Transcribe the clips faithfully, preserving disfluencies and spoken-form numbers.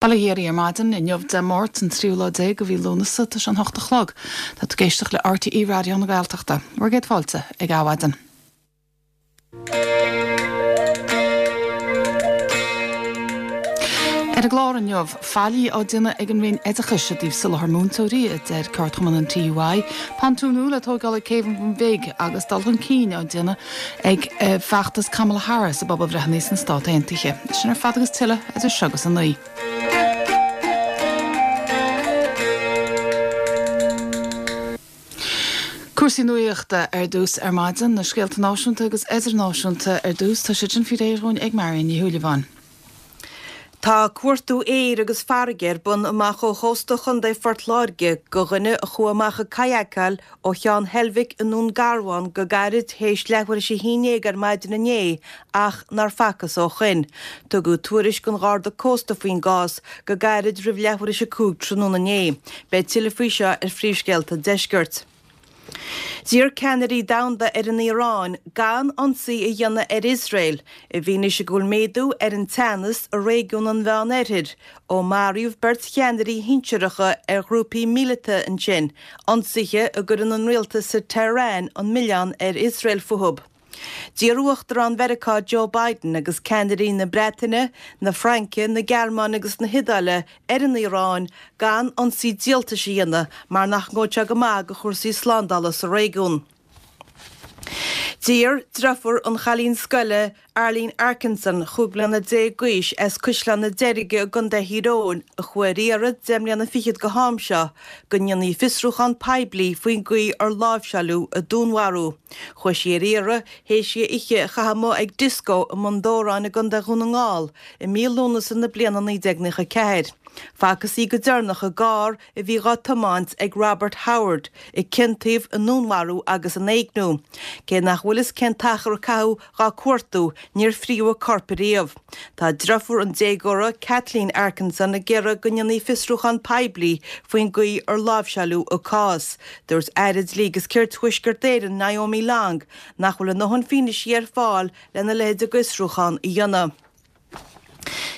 Bail ó Dhia oraibh ar maidin, inniu Dé Máirt an tríú lá déag de mhí Lúnasa, tá sé an hocht a chlog. Tá tú ag éisteacht le RTÉ Raidió na Gaeltachta. Bhur gcéad fáilte ag Adhmhaidin. Ar an gclár inniu, faillí á déanamh ag an Roinn Oideachais i dtaobh soláthar múinteoirí, a deir ceardchumann an TUI, pontún nua le tógáil ag Céibh an Bhun Bhig agus dul chun cinn á déanamh ag feachtas Kamala Harris i bpobalbhreitheanna sna Stát Aontaithe. Sin ar fad agus tuilleadh idir seo agus a naoi. Cúrsaí nuachta ar dtús ar maidin, na scéalta náisiúnta agus idirnáisiúnta ar dtús, tá siad sin faoi réir dhúinn ag Marion Ní Shúilleabháin. Tá cuartú aeir agus farraige ar bun amach ó chósta Chontae Phort Láirge do dhuine a chuaigh amach ag kayakáil ó Cheann Heilbhic i nDún Garbhán go gairid théis leathuair théis a haon déag ar maidin inné ach nár facthas ó shoin. Tugadh tuairisc don Gharda Cósta faoin gcás go gairid roimh leathuair théis a cúig tráthnóna inné. Beidh tuilleadh faoi seo ar Phríomhscéalta an Deiscirt. D'iarr ceannairí domhanda ar an Iaráin gan ionsaí a dhéanamh ar Iosrael i bhfianaise go bhfuil méadú ar an teannas i réigiún an Mheánoirthir ó maraíodh beirt cheannairí shinsearacha ar ghrúpaí míleata ansin, ionsaithe a gcuireann an rialtas i Tehran an milleán ar Iosrael fúthu. D'iarr Uachtarán Mheiriceá Joe Biden agus ceannairí na Breataine, na Fraince, na Gearmáine agus na hIodáile ar an Iaráin gan ionsaí díoltais a dhéanamh mar nach ngabhfaidh sé go maith do chúrsaí slándála sa réigiún. D'iarr deirfiúr an chailín scoile Arlene Arkinson, chúig bliana déag d'aois, as Caisleán na Deirge i gContae Thír Eoghain, a chuaigh ar iarraidh deich mbliana fichead go ham seo, go ndéanfaí fiosrúchán poiblí faoin gcaoi ar láimhseáileadh a dúnmharú. Chuaigh sí ar iarraidh théis di oíche a chaitheamh amuigh ag dioscó i mBun Dobhráin i gContae Dhún na nGall i mí Lúnasa na bliana naoi déag naocha ceathair. Facthas í go deireanach i gcarr a bhí dhá tiomáint ag Robert Howard, a ciontaíodh i ndúnmharú agus in éigniú. Cé nach bhfuil fhios cén t-achar a caitheadh dhá cuartú, níor fríodh a corp ariamh. Tá deirfiúr an déagóra, Kathleen Arkinson, ag iarraidh go ndéanfaí fiosrúchán poiblí faoin gcaoi ar láimhseáileadh a cás. Dúirt Aire Dlí agus Cirt Thuaisceart Éireann, Naomi Long, nach bhfuil a ndóthain fianaise ar fáil lena leithéid de fhiosrúchán a dhéanamh.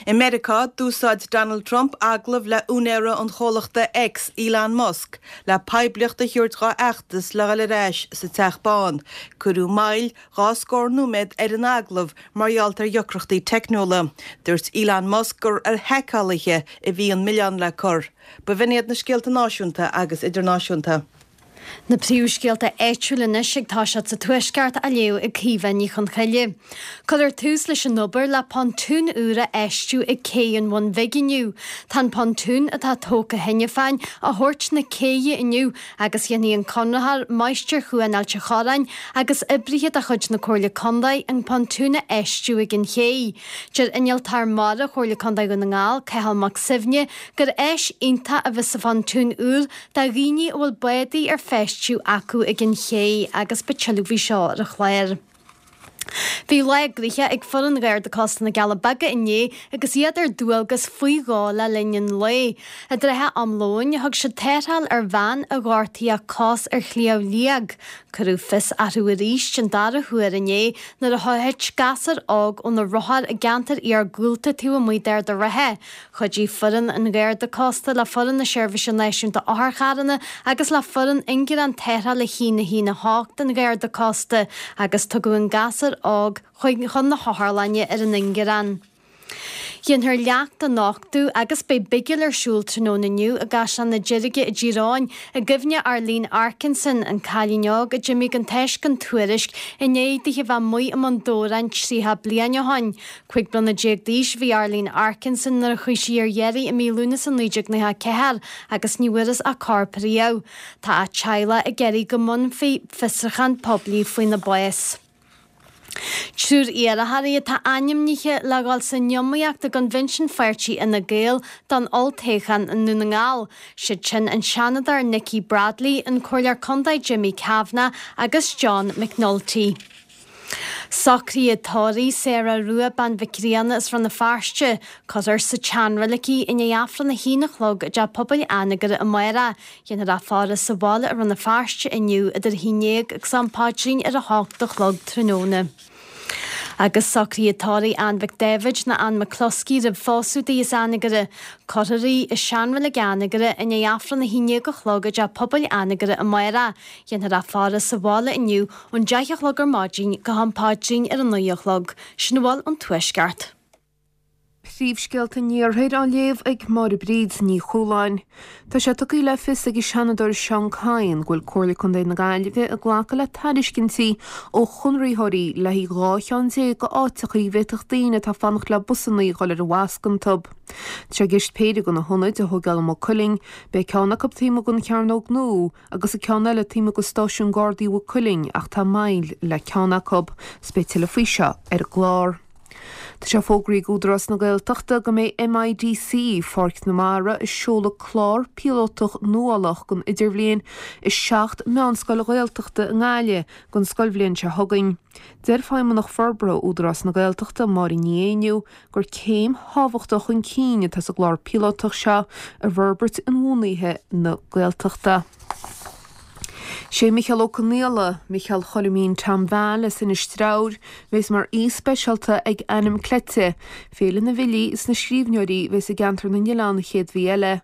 I Meiriceá, d'úsáid Donald Trump agallamh le úinéara an chomhlachta X, Elon Musk, le poiblíocht a thabhairt dhá fheachtas le dhul ar ais sa Teach Bán. Cuireadh moill dhá scór nóiméad ar an agallamh mar gheall ar dheacrachtaí teicniúla. Dúirt Elon Musk gur ar haiceálaithe a bhí an milleán le cur. B'in iad na scéalta náisiúnta agus idirnáisiúnta. Na príomhscéalta áitiúla anois ag toiseacht sa Tuaisceart á léamh ag Caoimhe Ní Chonchoille. Cuirfear tús leis an obair le pontún úr a fheistiú ag Cé an Bhun Bhig inniu. Tá an pontún atá tógtha cheana féin á thabhairt na céidhe inniu agus dhéanfaidh an conraitheoir, Máistir Chuan Ailt an Chorráin agus oibrithe de chuid na Comhairle Contae an pontún a fheistiú ag an chéidh. Deir Innealtóir Mara Chomhairle Contae Dhún na nGall, Cathal Mac Suibhne, gur áis iontach a bheas sa phontún úr do dhaoine a bhfuil bádaí ar feistiú acu ag an ché agus beidh tuilleadh faoi seo ar an chlár. Bhí lá gnoitheach ag foireann Gharda Cósta na gCealla Beaga inné agus iad ar dualgas faoi dhó le linn an lae. I dtrátha am lóin, thug siad tarrtháil ar bhean a ghortaigh a cos ar Shliabh Liag. Cuireadh fios orthu arís den dara huair inné nuair a thit gasúr óg óna rothar i gceantar iargúlta taobh amuigh d'Ard an Rátha. Chuidigh foireann an Gharda Cósta le foireann na Seirbhíse Náisiúnta Otharcharranna agus le foireann Ingearán Tarrthála a haon a haon a hocht an Gharda Cósta agus tugadh an gasúr óg chuig chun na hotharlainne ar an ingearán. Déanfar leacht a nochtadh agus beidh bigil ar siúl tráthnóna inniu i gCaisleán na Deirge i dTír Eoghain i gcuimhne Arlene Arkinson, an cailín óg a d'imigh gan tásc gan tuairisc i ndiaidh di a bheith amuigh i mBun Dobhráin tríocha bliain ó shoin. Cúig bliana déag d'aois a bhí Arlene Arkinson nuair a chuaigh sí ar iarraidh i mí Lúnasa naoi déag nócha a ceathair agus ní bhfuarthas a corp riamh. Tá a teaghlach ag iarraidh go mbunófaí fiosrúchán poiblí faoina bás. Triúr iarrthóirí atá ainmnithe le dhul san iomaíocht i gCoinbhinsiún Pháirtí Fhine Gael don olltoghchán i nDún na nGall. Siad sin an Seanadóir Nikki Bradley, an Comhairleoir Contae Jimmy Kavanagh agus John McNulty. Socruithe tórraimh Sarah Rua Bean Mhic Grianna as Rann na Feirste, cuirfear sa tseanreilig í i ndiaidh Aifreann a haon a chlog i dTeach Pobail Anagaire amárach. Déanfar í a fhaire sa bhaile i Rann na Feirste inniu idir a haon déag agus am paidrín ar a hocht a chlog tráthnóna. Agus socruithe tórraimh Ann Mhic Daibhéid nó Ann McCloskey roimh phósadh di as Anagaire. Cuirfear í i seanreilig Anagaire i ndiaidh Aifreann a haon déag a chlog i dTeach Pobail Anagaire amárach. Déanfar í a faire sa bhaile inniu ón deich a chlog ar maidin go ham paidrín ar a naoi a chlog. Sin a bhfuil ón Tuaisceart. Príomhscéalta an Iarthair á léamh ag Máire Bríd Ní Chualáin. Tá sé tugtha le fios ag an Seanadóir Seán Kyne go bhfuil Comhairle Contae na Gaillimhe ag glacadh le tairiscintí ó chonraitheoirí le haghaidh dhá cheann déag d'áiteacha a bhféadfadh daoine atá ag fanacht le busanna a dhul ar an bhfosc iontu. Tá sé i gceist péire de na hionaid a thógáil i Maigh Cuilinn, beidh ceann acu taobh amuigh den Chearnóg Nua agus an ceann eile taobh amuigh de Stáisiún Gardaí Mhaigh Cuilinn ach tá moill le ceann acu. 'S beidh tuilleadh faoi seo ar an gclár. Tá sé fógraithe ag Údarás na Gaeltachta go mbeidh MIDC, Pháirc na Mara, ag seoladh clár píolótach nuálach don idirbhliain i seacht meánscoil Ghaeltachta i nGaillimh don scoilbhliain seo chugainn. Deir Feidhmeannach Forbartha Údarás na Gaeltachta, Máire Ní Éinniú, gur céim thábhachtach chun cinn atá sa gclár píolótach seo i bhforbairt inbhuanaithe na Gaeltachta. Sé Micheál Ó Conghaile, Micheál Choilimín Tom Val as Inis Treabhair, bheas mar aoi speisialta ag Ainm Cleite, Féile na bhFilí is na Scríbhneoirí bheas i gceantar na nOileán an chéad mhí eile.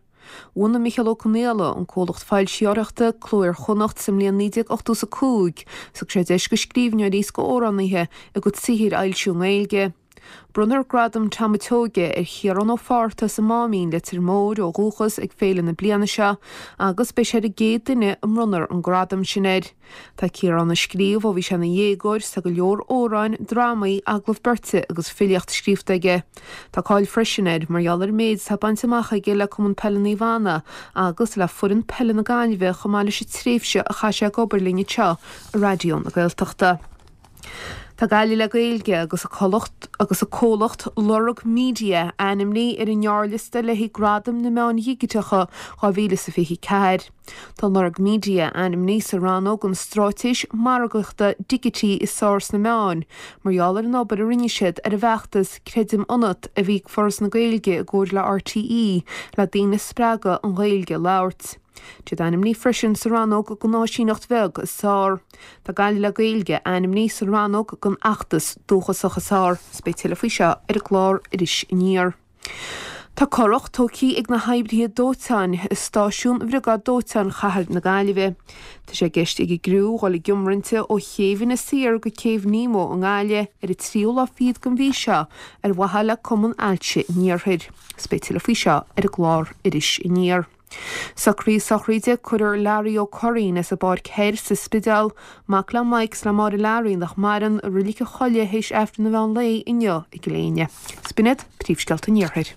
Bhunaigh Micheál Ó Conghaile an comhlacht foilsitheoireachta Cló Iar-Chonnacht sa mbliain naoi déag ochtó is a cúig, 's thug sé deis go scríbhneoirí is go amhránaithe a gcuid saothair a fhoilsiú i nGaeilge. Bronnfar Gradam Tom a' tSeoighe ar Chiarán Ó Fátharta as an Máimín, Leitir Móir ó dhúchas ag féile na bliana seo agus beidh sé ar an gcéad duine a mbronnfar an gradam sin air. Tá Ciarán ag scríobh ó bhí sé ina dhéagóir 's tá go leor amhráin, drámaí, agallamh beirte agus filíocht scríofa aige. Tá cáil freisin air mar gheall ar an méid atá bainte amach aige le Cumann Peile Naomh Anna agus le foireann peile na Gaillimhe chomh maith leis an tréimhse a chaith sé ag obair linn anseo i Raidió na Gaeltachta. Tá Gaillimh le Gaeilge agus a comhlacht agus a comhlacht Lorg Media ainmnithe ar an ngearrliosta le haghaidh Gradaim na Meán Dhigiteacha dhá mhíle is a fiche ceathair. Tá Lorg Media ainmnithe sa rannóg an Straitéis Margaíochta Digití is Fearr sna Meáin, mar gheall ar an obair a rinne siad ar an bhfeachtas Creidim Ionat a bhí ag Foras na Gaeilge i gcomhar le RTÉ le daoine a spreagadh an Ghaeilge a labhairt. Tá siad ainmnithe freisin sa rannóg don áisíneacht bheag is fearr. Tá Gaillimh le Gaeilge ainmnithe sa rannóg don fheachtas dúchasach is fearr. 'S beidh tuilleadh faoi seo ar an gclár Iris Aniar. Tá curach tógtha ag na hoibrithe dóiteáin i stáisiún Bhriogáid Dóiteáin Chathair na Gaillimhe. Tá sé i gceist ag an gcriú dhul i gcionroinnt ó Chéibh Inis Oírr go Céibh Nemo i nGaillimh ar an tríú lá fichead den mhí seo ar mhaithe le Cumann Ailse an Iarthair. 'S beidh tuilleadh faoi seo ar an gclár Iris Aniar. Socruithe sochraide Cuirfear Larry Ó Curraoin as an bPáirc Thoir sa Spidéal, mac le Mike 's le Máire Larry nach maireann i Reilig an Choilligh théis Aifreann an mheán lae inniu i gCill Éinne. 'S b'in iad príomhscéalta an Iarthair.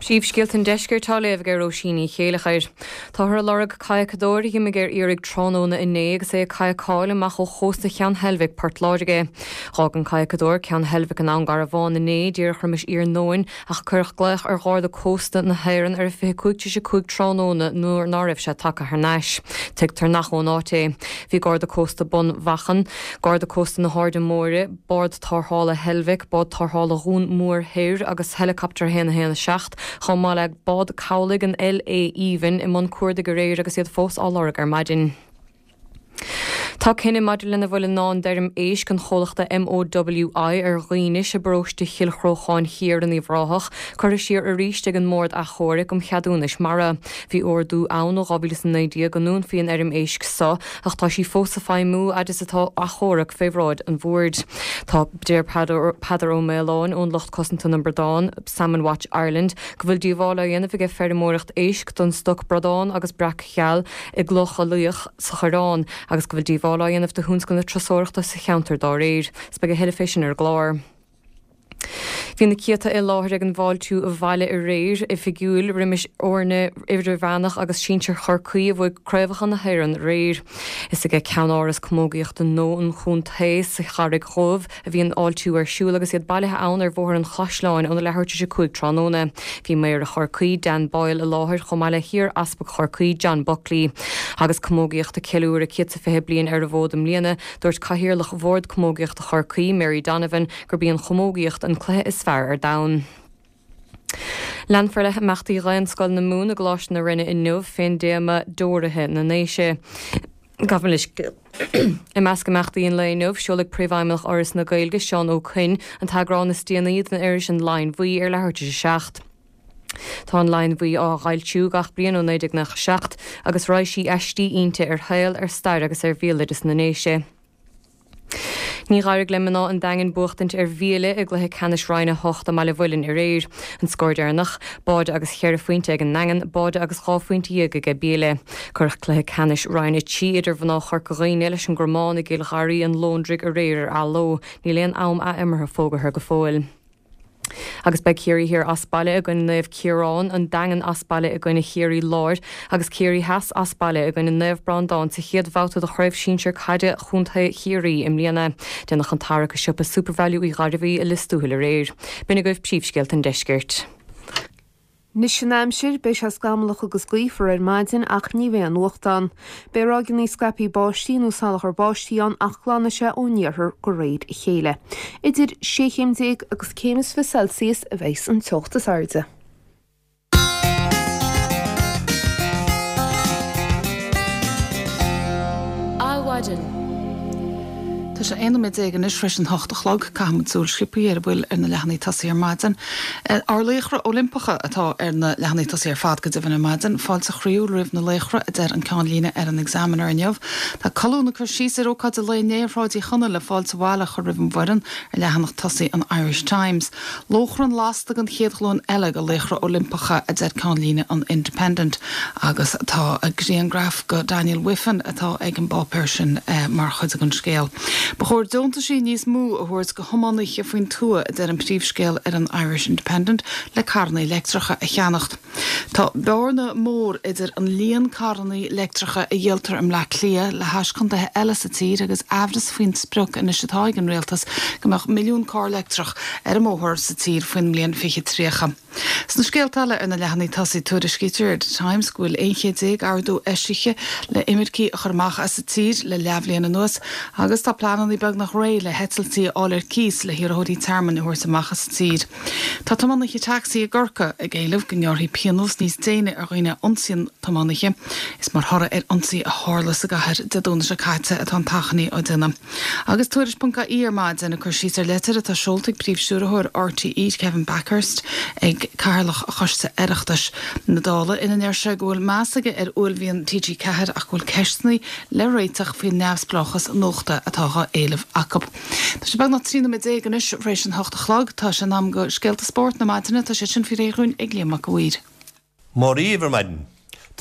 Príomhscéalta an Deiscirt á léamh ag Róisín Ní Chéileachair. Táthar ag lorg cadhcadóir a d'imigh ar iarraidh tráthnóna inné agus é ag cadhcáil amach ó chósta Cheann Heilbhic, Port Láirge. D'fhág an cadhcadóir Ceann Heilbhic in Abhainn Garbhán inné díreach roimis iarnóin ach cuireadh glaoch ar Gharda Cósta na hÉireann ar a fiche cúig tar éis a cúig tráthnóna nuair ná raibh sé tagtha thar n-ais. Tuigtear nach ón áit é. Bhí Garda Cósta Bun Mhachan, Garda Cósta na hAirde Móire, Bád Tarrthála Heilbhic, Bád Tarrthála Dhún Mór Thoir agus Helicopter a haon a haon a seacht, chomh maith le bád cabhlaigh an LA Aoibhinn i mbun cuardaigh aréir agus iad fós á lorg ar maidin. Tá cinneadh maidir lena bhfuil i ndán d'fheirm éisc an chomhlachta MOWI ar Dhaoinis i bparóiste Chill Chrócháin Thiar in Uíbh Ráthach, curtha siar arís ag an mBord Achomhairc um Cheadúnais Mara. Bhí ordú ann ó dhá mhíle is a naoi déag go ndúnfaí an fheirm éisc so ach tá sí fós ag feidhmiú fhad is atá achomharc fé bhráid an bhoird. Tá deir Peadar Ó Maoláin ón lucht cosanta na mbradán, Salmon Watch Ireland, go bhfuil díobháil á dhéanamh aige feirmeoireacht éisc don stoc bradán agus breac geal i gCloch Laoich sa Choireán agus go bhfuil díobháil á dhéanamh do thionscal na turasóireachta sa cheantar dá réir. 'S beidh a thuilleadh fé sin ar an gclár. Bhí na céadta i láthair ag an bhfáiltiú abhaile aréir oifigiúil roimis fhoirne idirmheánach agus sinsir Chorcaí a bhuaigh craobhacha na hÉireann aréir. Is aige ceannáras camógaíochta nua an chontae sa Charraig Dhubh a bhí an fháiltiú ar siúl agus iad bailithe ann ar Bhóthar an Chaisleáin óna leathuair tar éis a cúig tráthnóna. Bhí Méara Chorcaí, Dan Boyle i láthair chomh maith le hiar-easpag Chorcaí, John Buckley. Agus camógaíocht ag ceiliúradh céad is fiche bliain ar an bhfód i mbliana, dúirt Cathaoirleach Bhord Camógaíochta Chorcaí, Mary Donovan, gurb í an chamógaíocht an cluiche is fearr ar domhan. Leanfar le himeachtaí Dhaonscoil na Mumhan i gColáiste na Rinne inniu fén dtéama Deoraithe na nDéise. Gabh mo leithscéal. I measc imeachtaí an lae inniu, seolfaidh Príomhfheidhmeannach Fhoras na Gaeilge, Seán Ó Coinn, an t-eagrán is déanaí den iris An Lion Bhuí ar leathuair tar éis a seacht. Tá An Lion Bhuí á fhoilsiú gach bliain ó naoi déag nócha a seacht agus raidhse aistí inti ar shaol, ar stair agus ar bhéaloideas na nDéise. Ní d'éirigh le mná an Daingin buachtaint ar Mhíle i gcluiche ceannais Roinn a hocht i mBaile Mhuilinn aréir. An scór deireanach, báide agus cheithre phointe ag an nDaingean, báide agus dhá phointe dhéag aige Míle. Cuireadh cluiche ceannais Roinn a trí idir mhná Chorca Dhuibhne leis an gCromán i gCill Gharraí an Lóndruig aréir ar athló. Níl aon am athimeartha fógartha go fóill. Agus beidh Ciarraí Thiar as baile i gcoinne Naomh Ciarán, an Daingean as baile i gcoinne Chiarraí Láir agus Ciarraí Theas as baile i gcoinne Naomh Breandán sa chéad bhabhta de Chraobh Shinsir Caide Chontae Chiarraí i mbliana. Déanadh an tarrac i siopa Supervalu Uí Ghairbhí i Lios Tuathail aréir. B'in agaibh príomhscéalta an deiscirt. Anois an aimsir, beidh sé scamallach agus gaofar ar maidin ach ní bheidh aon fhuacht ann. Beidh ráigeanna scaipthe báistí nó salachar báistí ann ach glanfaidh sé ón iarthar de réir a chéile. Idir sé chéim déag agus céim is fiche Celsius a bheas an teocht is airde. Adhmhaidin. Tá sé aon nóiméad déag anois tar éis an hocht a chlog. Caithfidh muid súil sciobtha ar a bhfuil ar na leathanaigh tosaigh ar maidin. Ár laochra Oilimpeacha atá ar na leathanaigh tosaigh ar fad go deimhin ar maidin. Fáilte chroíúil roimh na laochra, a deir an ceannlíne ar an Examiner inniu. Tá colún ag cur síos ar ócáid an lae inné ar Shráid Uí Chonaill le fáilte abhaile a chur roimh an bhfoireann ar leathanach tosaigh an Irish Times. Lóchrann lasta den chéad ghlúin eile de laochra Oilimpeacha, a deir ceannlíne an Independent agus tá grianghraf de Daniel Wiffen atá ag an bpáipéar sin mar chuid den scéal. Ba chóir deontaisí níos mó a thabhairt go thiománaithe faoin tuath, a deir an príomhscéal ar an Irish Independent, le carranna leictreacha a cheannacht. Tá bearna mór idir an líon carranna leictreacha a dhíoltar i mBleá Cliath le hais contaetha eile sa tír agus aimhreas faoin sprioc anois atá ag an rialtas go mbeadh milliún carr leictreach ar an mbóthar sa tír faoin mbliain fiche tríocha. Sna scéalta eile ar na leathanaigh tosaigh tuairiscítear ar The Times go bhfuil aon chéad déag ordú eisithe le imircigh a chur amach as an tír le leathbhliain anuas agus tá pleananna beagnach réidh le heitiltí a fháil ar cíos le hiarrthóirí tearmainn a thabhairt amach as an tír. Tá tiománaithe tacsaí i gCorcaigh ag éileamh go ngearrfaí pionós níos déine ar dhaoine a ionsaíonn tiománaithe. Is mar thoradh ar ionsaí a tharla sa gcathair Dé Domhnaigh seo caite atá an t-achainí á déanamh. Agus Tuairisc ponc ie ar maidin ag cur síos ar leitir atá seolta ag Príomh-Stiúrthóir R T E Kevin Bakhurst ag Cathaoirleach Choiste Oireachtais na Dála ina ndeir sé go bhfuil meas aige ar uaillmhian T G ceathair ach go bhfuil ceisteanna le réiteach faoin neamhspleáchas nuachta atá á éileamh acu. Tá sé beagnach trí nóiméad déag anois tar éis an hocht a chlog. Tá sé in am go scéalta spóirt na maidine, tá sé sin faoi réir dhúinn ag Liam Mac a' Mhaoir. Móra dhaoibh ar maidin.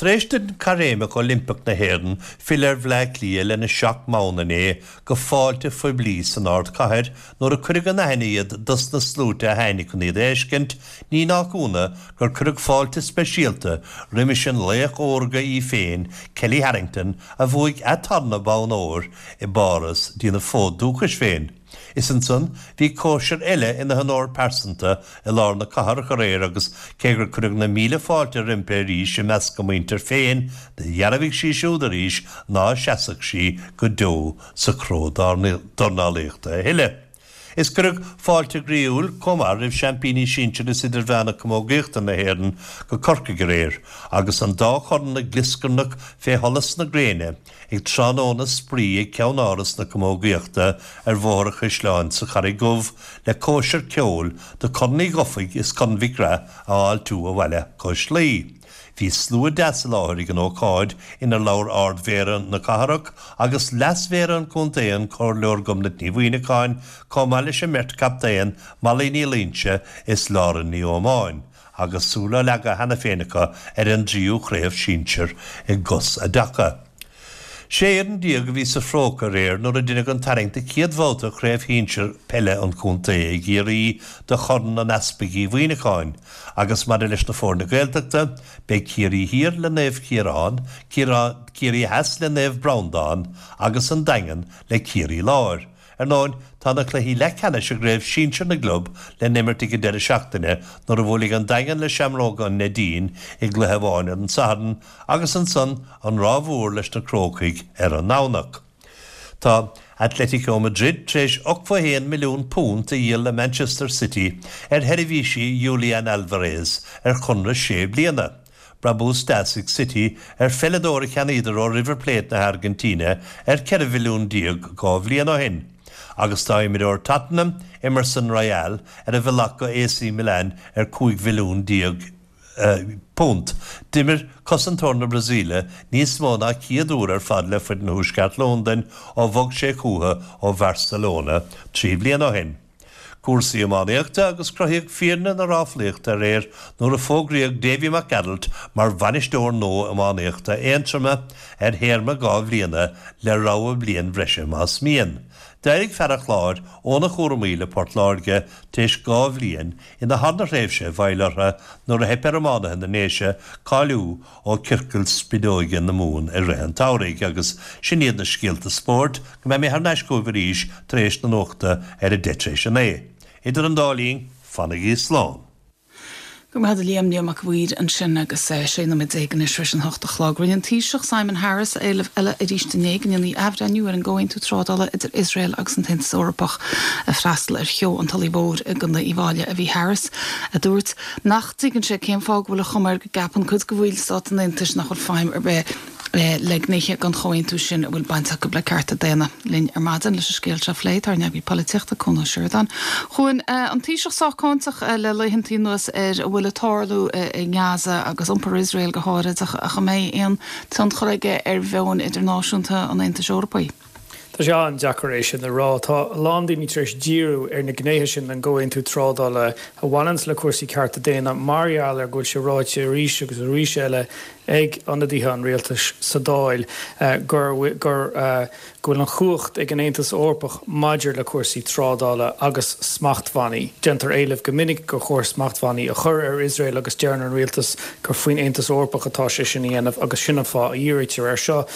Tar éis don Caithréimeach Oilimpeach na hÉireann filleadh ar Bhleá Cliath lena seacht mbonn inné go fáilte phoiblí san ardchathair nuair a cuireadh in aithne iad dos na sluaite a tháinig chun iad a fheiscint, ní nach ionadh gur cuireadh fáilte speisialta roimis an laoch órga í féin, Kellie Harrington, a bhuaigh a tarna bonn óir i bPáras dtína fód dúchais féin. Is ansan bhí cóisir eile ina honóir pearsanta i lár na cathrach aréir agus cé gur cuireadh na míle fáilte roimpi arís i measc a muintir féin, do dhearbhaigh sí siúd arís ná seasfadh sí go deo sa chró dornálaíochta a thuilleadh. Is cuireadh fáilte ghroíúil chomh maith roimh seaimpíní sinsir is idirmheánach camógaíochta na hÉireann go Corcaigh aréir agus an dá chorn ag glioscarnach fé sholas na gréine ag tráthnóna spraoi ag Ceann-Áras na Camógaíochta ar Bhóthar an Chaisleáin sa Charraig Dhubh le cóisir ceoil do Chorn Uí Dhufaigh is Corn Mhic Graith a fháiltiú abhaile cois Laoi. Bhí slua deas i láthair ag an ócáid inar labhair Ard-Mhéara na cathrach agus Leas-Mhéara an chontae an Comhairleoir Gobnait Ní Mhuimhneacháin chomh maith leis an mbeirt chaptaen Molly Ní Loingsigh is Lauren Ní Ómáin. Agus súil á leagadh cheana féin acu ar an dtríú craobh sinsir i gcos a dtaca. Sé fhoireann déag a bhí sa phróca aréir nuair a deineadh an tarraingt do chéad bhabhta Chraobh Shinsir Peile an Chontae i gCiarraí do Chorn an Easpaig Uí Mhuimhneacháin agus maidir leis na foirne Gaeltachta, beidh Ciarraí Thiar le Naomh Ciarán, Ciarraí Theas le Naomh Breandán agus an Daingean le Ciarraí Láir. Ar ndóin, tá na cluichí leathcheannais i gCraobh Shinsir na gClub le n-imirt ag an deireadh seachtaine nuair a bhuailfidh an Daingean le Seamróga an Neidín i gcluiche amháin ar an Satharn agus ansan an Ráth Mhór leis na Crócaigh ar an nDomhnach. Tá Atletico Madrid tar éis ochtó a haon milliún punt a dhíol le Manchester City ar sheirbhísí Julian Alvarez ar chonradh sé bliana. brabús deas ag City ar pheileadóir a cheannaíodar ó River Plate na hAirgintíne ar ceithre mhilliún déag dhá bhliain ó shin. Agus tá imreoir Tottenham, Emerson Royal, ar a bhealach go A C Milan ar cúig mhilliún déag punt. D'imir cosantóir na Brasaíle níos mó ná céad uair ar fad le foireann Thuaisceart Londain ó bhog sé chucu ó Bharcelona trí bliana ó shin. Cúrsaí iománaíochta agus cruthaíodh fírinne na ráflaíochta aréir nuair a fógraíodh Davy McAdult mar bhainisteoir nua iománaíochta Aontroma ar théarma dhá bhliana le rogha bliain bhreise más mian. D'éirigh fear an Chláir óna chúraimí le Port Láirge tar éis dhá bhliain ina tharna thréimhse i bhfeighil orthu nuair a theip ar iománaithe na nDéise cáiliú ó chiorcal spideoige na Mumhan i rith an tsamhraidh agus sin iad na scéalta spóirt go mbeidh mé thar n-ais chugaibh arís tar éis na nuachta ar a deich tar éis a naoi. Idir an dá linn, fanaigí slán. Go raibh maith agat Liam Liam Mac Uidhir ansin agus sé nóiméad déag anois tar éis an hocht a chlog. Rinne an Taoiseach Simon Harris éileamh eile arís inné go ndéanfaí athbhreithniú ar an gcomhaontú trádála idir Iosrael agus an tAontas Eorpach ag freastal ar sheó an Tulaigh Mhóir i gContae Uíbh Fhailí a bhí Harris a dúirt nach dtuigeann sé cén fáth go bhfuil an chuma air go gceapann cuid de bhaill stát an Aontais nach bhfuil feidhm ar bith le gnéithe den chomhaontú sin a bhfuil baint acu le cearta daonna. Linn ar maidin leis an scéal seo a phlé tá ár n-eagraí polaitíochta Cuan Ó Seireadáin. Chuan an Taoiseach sách cáinteach le laethantaí anuas ar a bhfuil ag tarlú i nGaza agus iompar Iosrael go háirid ach an mbeidh aon tionchar aige ar mheon idirnáisiúnta an Aontais Eorpaigh. Tá sé an-deacair é sin a rá. Tá a lán daoine tar éis díriú ar na gnéithe sin den gcomhaontú trádála a bhaineann le cúrsaí cearta daonna mar gheall ar go bhfuil sé ráite arís agus arís eile ag ionadaithe an rialtais sa Dáil gur gur go bhfuil an chumhacht ag an Aontas Eorpach maidir le cúrsaí trádála agus smachtbhannaí. Déantar éileamh go minic gur chóir smachtbhannaí a chur ar Iosrael agus deireann an rialtas gur faoin Aontas Eorpach atá sé sin a dhéanamh agus sin an fáth a dhírítear air seo.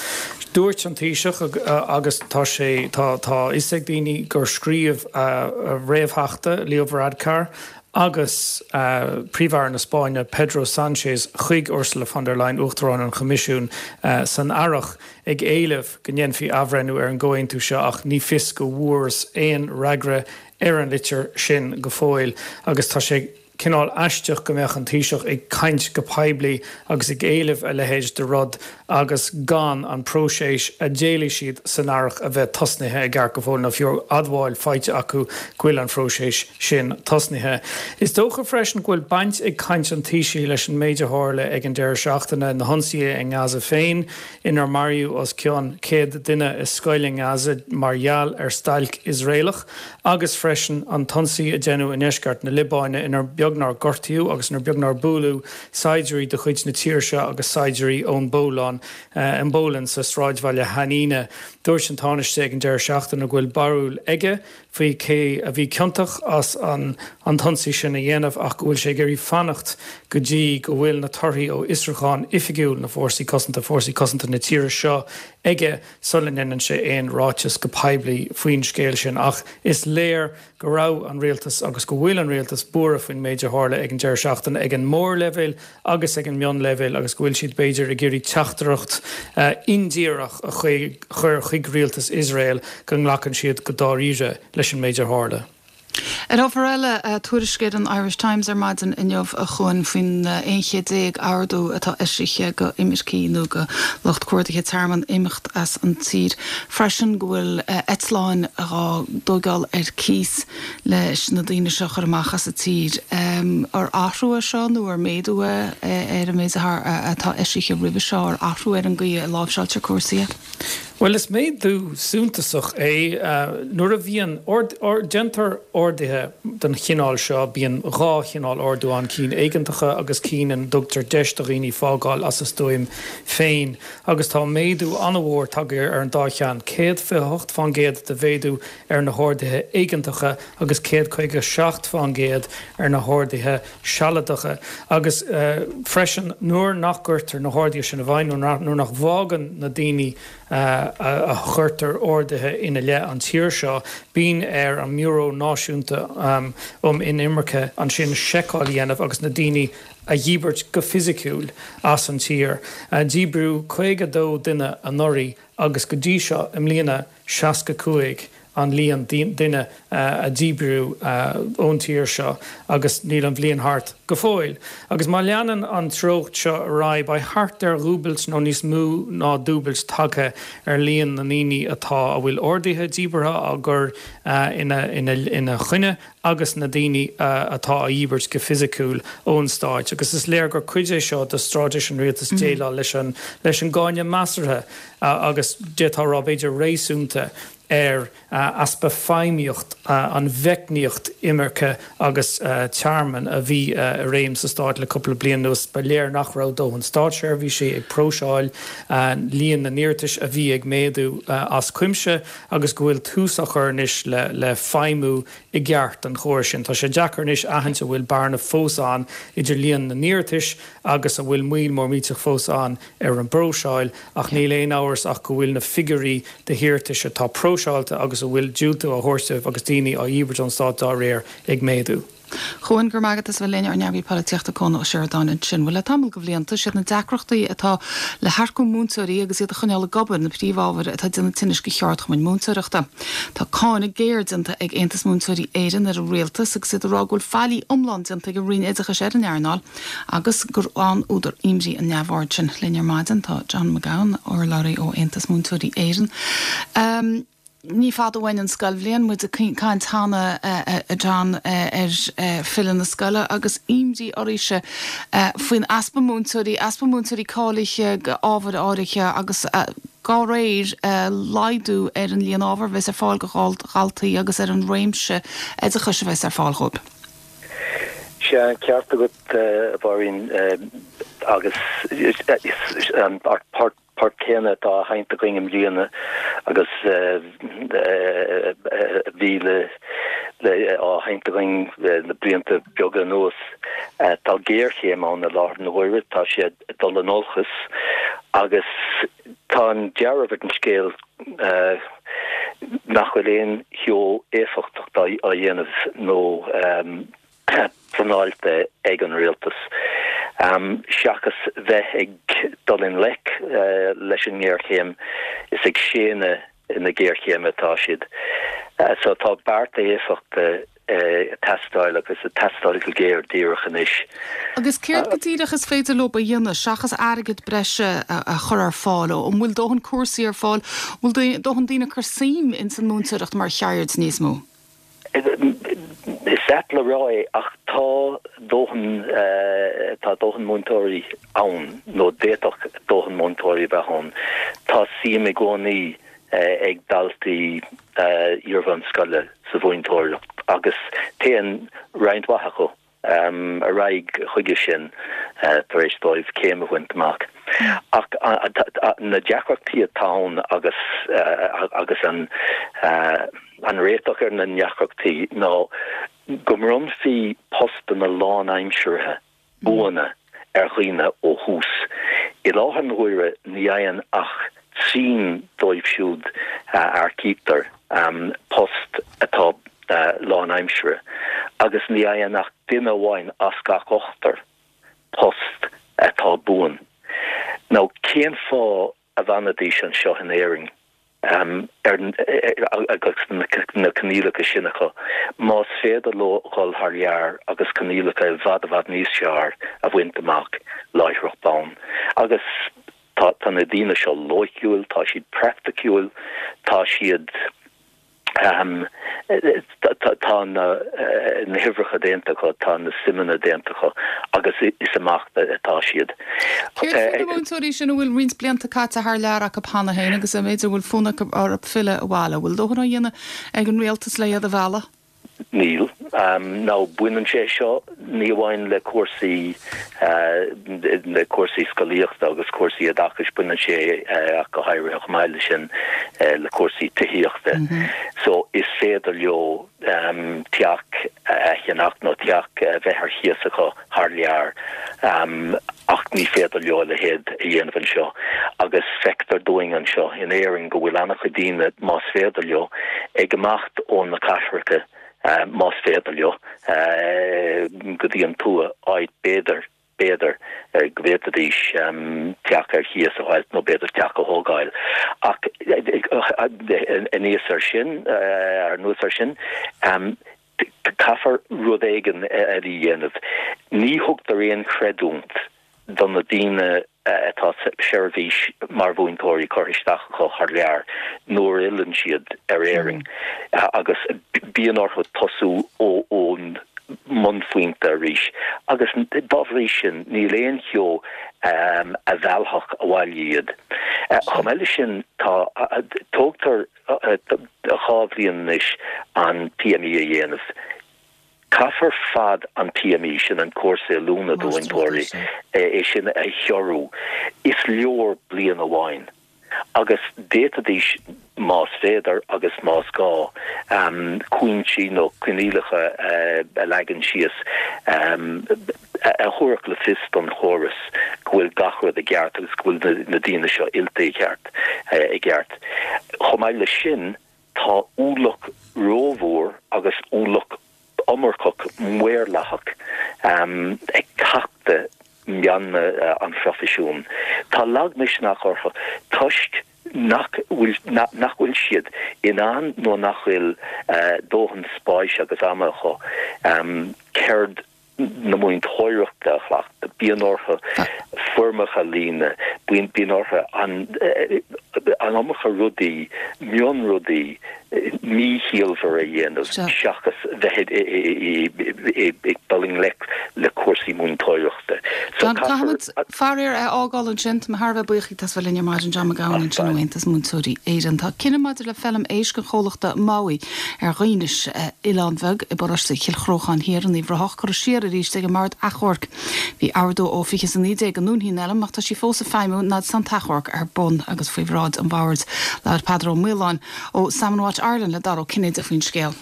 Dúirt an Taoiseach agus tá sé tá tá fhios ag daoine gur scríobh réamhtheachta Leo Varadkar agus uh, Príomh-Aire na Spáinne Pedro Sánchez chuig Ursula von der Leyen Uachtarán an Choimisiúin uh, san earrach ag éileamh go ndéanfaí athbhreithniú ar an gcomhaontú seo ach ní fios go bhfuarthas aon fhreagra ar an litir sin go fóill agus tá sé cineál aisteach go mbeadh an Taoiseach ag caint go poiblí agus ag éileamh a leithéid de rud agus gan an próiseas a d'éiligh siad san earrach a bheith tosnaithe i gceart go fóill nó fiú admháil faighte acu go bhfuil an próiseas sin tosnaithe. Is dócha freisin go bhfuil baint ag caint an Taoisigh leis an méid a tharla ag an deireadh seachtaine na hionsaithe i nGaza féin inar maraíodh os cionn céad duine i scoil i nGaza mar gheall ar stailc Iosraelach agus freisin an t-ionsaí a déanadh i ndeisceart na Liobáine inar beag nár gortaíodh agus inar beag nár buaileadh saighdiúirí de chuid na tíre seo agus saighdiúirí ón bPólann an bPólainn sa sráidbhaile Hanina. Dúirt an Tánaiste ag an deireadh seachtaine go bhfuil barúil aige faoi cé a bhí ciontach as an an t-ionsaí sin a dhéanamh ach go bhfuil sé ag iarraidh fanacht go dtí go bhfuil na torthaí ó fhiosrúchán oifigiúil na fórsaí cosanta fórsaí cosanta na tíre seo aige sula ndéanann sé aon ráiteas go poiblí faoin scéal sin ach is léir go raibh an rialtas agus go bhfuil an rialtas buartha faoin méid a tharla ag an deireadh seachtaine ag an mórleibhéal agus ag an mionleibhéal agus go bhfuil siad b'fhéidir ag iarraidh teachtaireacht uh, indíreach a chur chuig rialtas Iosrael go nglacann siad go dáiríre leis an méid a tharla. Ar ábhar eile tuairisc ar an Irish Times ar maidin inniu a Chuain faoin aon chéad déag ordú atá eisithe go imircigh nó go lucht cuardaithe tearmainn imeacht as an tír. Freisin go bhfuil eitleáin á dtógáil ar cíos leis na daoine seo chur amach as an tír. Ar athrú é seo nó ar méadú ar an méid atá eisithe roimhe seo ar athrú ar an gcaoi a láimhseáiltear cúrsaí. Well is méadú suntasach é nuair a bhíonn déantar orduithe den chineál seo bíonn dhá chineál ordú ann cinn éigeantacha agus cinn ina dtugtar deis do dhaoine fágáil as a stuaim féin agus tá méadú an-mhór tagtha ar an dá cheann céad fiche hocht faoin gcéad de mhéadú ar na horduithe éigeantacha agus céad caoga seacht faoin gcéad ar na horduithe sealadacha agus uh, freisin nuair nach gcuirtear na horduithe sin i bhfeidhm nuair nach bhfágann na daoine uh, a chuirtear orduithe ina leith an tír seo, bíonn ar an mBiúró Náisiúnta um, um Inimirce ansin seiceáil a dhéanamh agus na daoine a dhíbirt go fisiciúil as an tír. Uh, Díbríodh caoga dó duine anuraidh agus go dtí seo i mbliana seasca cúig an líon duine uh, a díbríodh uh, ón tír seo agus níl an bhliain thart go fóill. Agus má leanann an treocht seo ar aghaidh, beidh thart ar dhúbailt nó níos mó ná dúbailt tagtha ar líon na ndaoine atá a bhfuil orduithe díbeartha á gcur ina ina choinne agus na daoine atá á dhíbirt go fisiciúil ón Stáit. Agus is léir gur cuid é seo de straitéis an rialtais déileáil leis an leis an gcáineadh measartha agus d'fhéadfá a rá b'fhéidir réasúnta ar easpa feidhmíocht an mheicníocht imirce agus tearmainn a bhí i réim sa Stát le cúpla bliain anuas. Ba léir nach raibh dóthain státseirbhísigh ag próiseáil líon na n-iarratais a bhí ag méadú as cuimse agus go bhfuil tús á chur anois le feidhmiú i gceart an chórais sin. Tá sé deacair anois aithint an bhfuil bearna fós ann idir líon na n-iarratais agus an bhfuil moill mór millteach fós ann ar an bpróiseáil ach níl aon amhras ach go bhfuil na figiúirí de hiarratais atá próiseáilte agus a bhfuil diúltú á thabhairt dóibh agus daoine á dhíbirt ón stát dá réir ag méadú. Chuan, Go raibh maith agat as a bheith linn, ár nEagraí Polaitíochta Cuan Ó Seireadáin ansin. Bhuel, le tamall de bhlianta, siad na deacrachtaí atá le hearcú múinteoirí agus iad a choinneáil ag obair na príomhábhair atá ag déanamh tinnis do cheardchumainn múinteoireachta. Tá cáineadh géar déanta ag Aontas Múinteoirí Éireann ar an rialtas agus iad ag rá go bhfuil faillí iomlán déanta ag an Roinn Oideachais ar an earnáil agus gur an-údar imní an neamhaird sin. Linn ar maidin tá John McGowan, urlabhraí ó Aontas Múinteoirí Éireann. Um, Ní fada uainn an scoilbhliain, muid ag caint cheana a John ar filleadh na scoile agus imní oraibhse faoin easpa múinteoirí, easpa múinteoirí cáilithe d'ábhair áirithe agus dá réir laghdú ar an líon ábhar a bheas ar fáil do dhaltaí agus ar an réimse oideachais a bheas ar fáil dhóibh. Sea, an ceart agat, a Mháirín, agus an port port céanna atá á sheinnt againn i mbliana agus a bhí le á sheinnt againn le blianta beaga anuas. Tá géarchéim ann i láthair na huaire, tá sé ag dul in olcas agus tá an dealramh ar an scéal nach bhfuil aon cheo éifeachtach á dhéanamh nó pleanáilte ag an rialtas. Seachas bheith ag dul i ngleic leis an ngéarchéim, is ag séanadh na géarchéime atá siad. So tá bearta éifeachta ag teastáil agus ag teastáil go géar díreach anois. Agus céard go díreach is féidir leo a dhéanamh seachas airgead breise a chur ar fáil? An bhfuil dóthain cúrsaí ar fáil? An bhfuil dóthain daoine ag cur suim ins an múinteoireacht mar cheird níos mó? Is ait le rá é ach tá dóthain, tá dóthain múinteoirí ann, nó d'fhéadfadh dóthain múinteoirí a bheith ann. Tá suim i gcónaí ag daltaí iarbhunscoile sa mhúinteoireacht agus téann roinnt mhaith acu ar aghaidh chuige sin tar éis dóibh céim a bhaint amach. Ach na deacrachtaí atá ann agus agus an an réiteach ar na ndeacrachtaí ná go mbronnfaí postanna lánaimseartha buana ar dhaoine ó thús. I láthair na huaire ní fhaigheann ach trian dóibh siúd a earcaítear post atá lánaimseartha agus ní fhaigheann ach duine amháin as gach ochtar post atá buan. Now cén fáth a bhfanfaidís anseo in Éirinn agus na coinníollacha sin acu más féidir leo dhul thar lear agus coinníollacha i bhfad i bhfad níos fearr a bhaint amach láithreach bonn? Agus tá tá na daoine seo loighciúil, tá siad praiticiúil, tá siad. Tá na huimhreacha déanta acu, tá na suimeanna déanta acu agus is amach atá siad. Céard faoi na múinteoirí sin a bhfuil roinnt blianta caite thar lear acu cheana féin agus a mb'fhéidir a bhfuil fonn acu orthu filleadh abhaile? An bhfuil dóthain á dhéanamh ag an rialtas le iad a mhealladh? Níl. Now baineann sé seo ní amháin le cúrsaí le cúrsaí scolaíochta agus cúrsaí oideachais, baineann sé ach go háirithe chomh maith leis sin le cúrsaí tithíochta. So is féidir leo teach a cheannach nó teach a bheith ar chíos acu thar lear ach ní féidir leo a leithéid a dhéanamh anseo. Agus feictear dúinn anseo in Éirinn go bhfuil an-chuid daoine, más féidir leo, ag imeacht ó na cathracha, más féidir leo, go dtí an tuath, áit b'fhéidir, b'fhéidir, go bhféadfaidís teach ar chíos a fháilt nó b'fhéidir teach a thógáil. Ach aníos ar sin, anuas ar sin, Caithfear rud éigin eile a dhéanamh. Ní thugtar aon chreidiúint do na daoine atá seirbhís mar mhúinteoirí curtha isteach acu thar lear nuair a fhilleann siad ar Éirinn agus bíonn orthu tosú ón mbunphointe arís agus dá bhrí sin níl aon cheo a mheallfadh abhaile iad. Chomh maith leis sin tá tógtar dhá bhliain anois an P M E a dhéanamh. Caithfear fad an P M E, sin an cúrsa oiliúna do mhúinteoirí, é sin a ghiorrú. Is leor bliain amháin agus d'fhéadfaidís, más féidir agus más gá, cúinsí nó coinníollacha a leagan síos a thabharfadh le fios don chóras go bhfuil gach rud i gceart agus go bhfuil na daoine seo oilte i gceart i gceart. Chomh maith leis sin, tá ualach rómhór agus ualach iomarcach maorlathach ag tachtadh meanma an phroifisiúin. Tá lagmhisneach orthu toisc nach bhfuil nach bhfuil siad in ann nó nach bhfuil dóthain spáis agus ama acu ceird na múinteoireachta a chleachtadh. Bíonn orthu foirmeacha a líonadh, bíonn orthu an an iomarca rudaí, mionrudaí míchiallmhar a dhéanamh seachas bheith ag dul i ngleic le cúrsaí múinteoireachta. So caithfimid faraor é a fhágáil ansin. Tá mé thar a bheith buíoch as bheith linn ar maidin, John Mac Gabhann ansin ó Aontas Múinteoirí Éireann. Tá cinneadh maidir le feilm éisc an chomhlachta Mowi ar Dhuínis, oileán bheag i bparóiste Chill Chrócháin Thiar in Uíbh Ráthach, curtha siar arís ag an mBord Achomhairc. Bhí ordú ó fiche is a naoi déag go ndúnfaí an fheilm ach tá sí fós ag feidhmiú fhad is atá an t-achomharc ar bun agus faoi bhráid an bhoird. Labhair Peadar Ó Maoláin ó Salmon Watch Ireland le Dara Ó Cinnéide faoin scéal.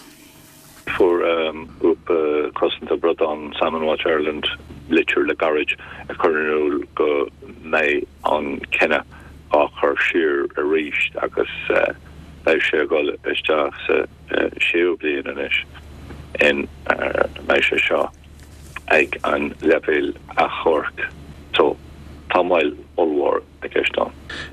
Fuair grúpa cosanta bradán Salmon Watch Ireland litir le gairid ag cur in iúl go mbeidh an cinneadh á chur siar arís agus beidh sé ag dul isteach sa séú bliain anois in mbeidh sé seo ag an leibhéal achomhairc. So tá moill ollmhór i gceist ann.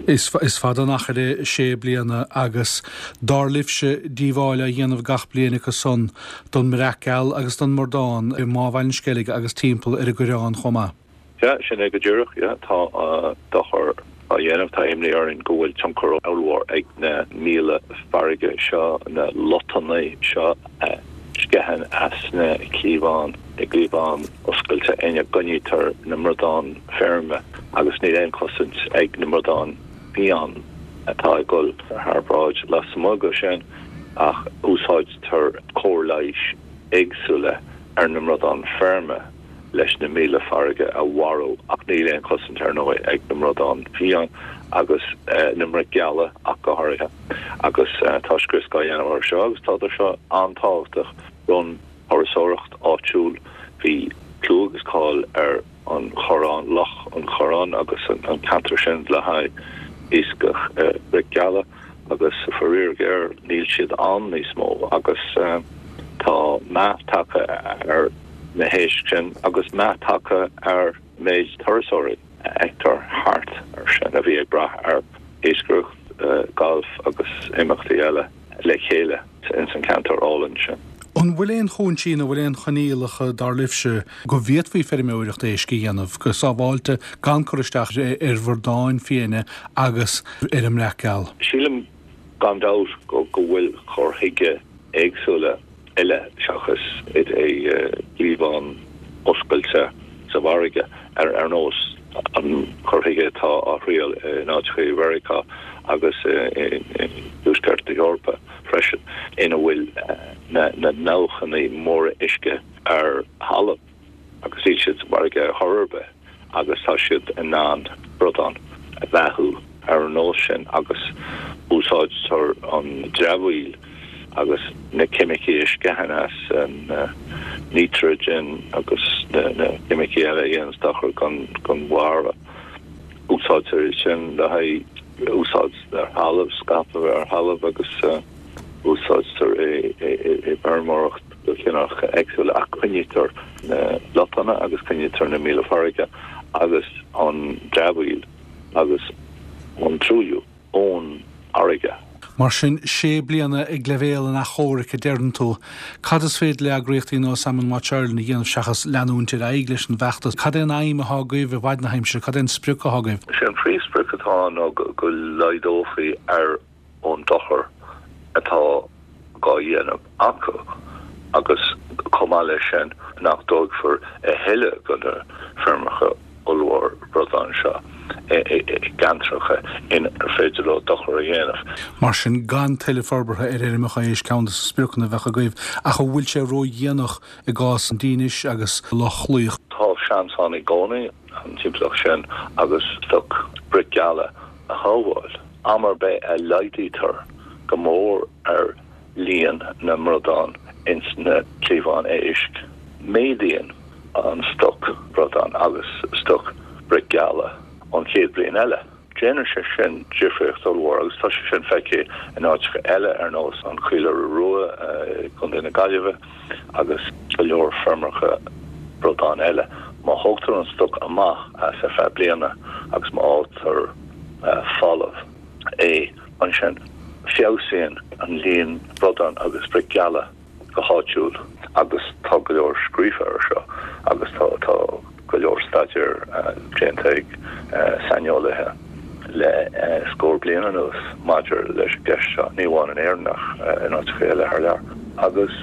Is is fada an achar sé bliana agus dar libhse díobháil á dhéanamh gach bliain acu san don mbreac geal agus don mbradán i mBá Bhaile an Sceilg agus timpeall ar an gCoireán chomh maith. Yeah, sin é go díreach, yeah, tá uh, dochar á dhéanamh. Tá imní orainn go bhfuil tionchar ollmhór ag na míola farraige seo, na lotanna seo a sceitheann as na cliabháin, na cliabháin oscailte ina gcoinnítear na bradáin feirme, agus níl aon chosaint ag na bradáin fiáin atá ag dul thar bráid lasmuigh de sin, ach úsáidtear cóir leighis éagsúla ar na bradáin feirme leis na míola farraige a mharú, ach níl aon chosaint ar ndóigh ag na bradáin fiáin agus na broic gheala ach go háirithe. Agus tá scrios á dhéanamh air seo agus tá seo an-tábhachtach don thurasóireacht áitiúil. Bhí clú agus cáil ar an Chorrán, Loch an Chorráin agus an ceantar sin le haghaidh iascach broic gheala agus faraor géar níl siad ann níos mó agus tá meath tagtha ar na héisc sin agus meath tagtha ar méid turasóirí a fheictear thart ar sin a bhí ag brath ar iascaireacht, galf agus imeachtaí eile le chéile ins an ceantar álainn sin. An bhfuil aon chúinsí nó bhfuil aon choinníollacha dar libhse go bhféadfaí feirmeoireacht éisc a dhéanamh go sábháilte gan cur isteach ar bhradáin fiáine agus ar an mbreac geal? Sílim gan dabht go go bhfuil cur chuige éagsúla eile seachas i gcliabhán oscailte sa bhfarraige, ar ar nós an cur chuige atá á thriail in áiteacha i Mheiriceá agus i dtuaisceart na hEorpa freisin, ina bhfuil na na ndabhchanna móra uisce ar thalamh agus níl siad sa bhfarraige ar chor ar bith agus tá siad in ann bradán a bheathú ar an nós sin agus úsáidtear an dramhaíl agus na ceimicí a sceitheann as an nítrigin agus na ceimicí eile a dhéananns dochar don bharra. Úsáidtear iad sin le haghaidh úsáid ar thalamh, scaipeadh ar thalamh agus úsáidtear é i bhfeirmeoireacht de chineálacha éagsúla ach coinnítear na lotanna agus coinnítear na míola farraige agus an dramhaíl agus an truailliú ón fharraige. Mar sin sé bliana ag leibhéal an achomhairc a deireann tú. Cad is féidir le eagraíochtaí nó Salmon Watch Ireland a dhéanamh seachas leanúint ar aghaidh leis an bhfeachtas? Cad é an aidhm atá agaibh i bhfad na haimsire, cad é an sprioc atá agaibh? Is é an phríomhsprioc atá ann ná go laghdófaí ar an dochar atá dhá dhéanamh acu agus chomh maith leis sin nach dtógfar a thuilleadh de na feirmeacha ollmhór bradán seo i gceantracha inar féidir leo dochar a dhéanamh. Mar sin gan tuilleadh forbartha ar fheirmeacha éisc ceann de na spriocanna a bheadh agaibh, ach an bhfuil sé ródhéanach i gcás an Dinis agus Loch Lao? Tá seans ann i gcónaí an timpeallacht sin agus stoc broic gheala a shábháil. Am ar bith a laghdaítear go mór ar líon na mbradán ins na cliabháin éisc, méadaíonn an stoc bradán agus stoc broic gheala an chéad bhliain eile. Déanann sé sin difríocht ollmhór agus tá sé sin feicthe in áiteacha eile ar nós an Chaoláire Rua i gContae na Gaillimhe agus go leor feirmeacha bradán eile. Má thógtar an stoc amach as ar feadh bliana agus má fhágtar folamh é ansin, feabhsaíonn an líon bradán agus broic gheala go háitiúil agus tá go leor scríofa ar seo agus tá tá go leor staidéir déanta ag saineolaithe le scór bliain anuas maidir leis an gceist seo, ní amháin in Éirinn ach in áiteacha eile thar lear. Agus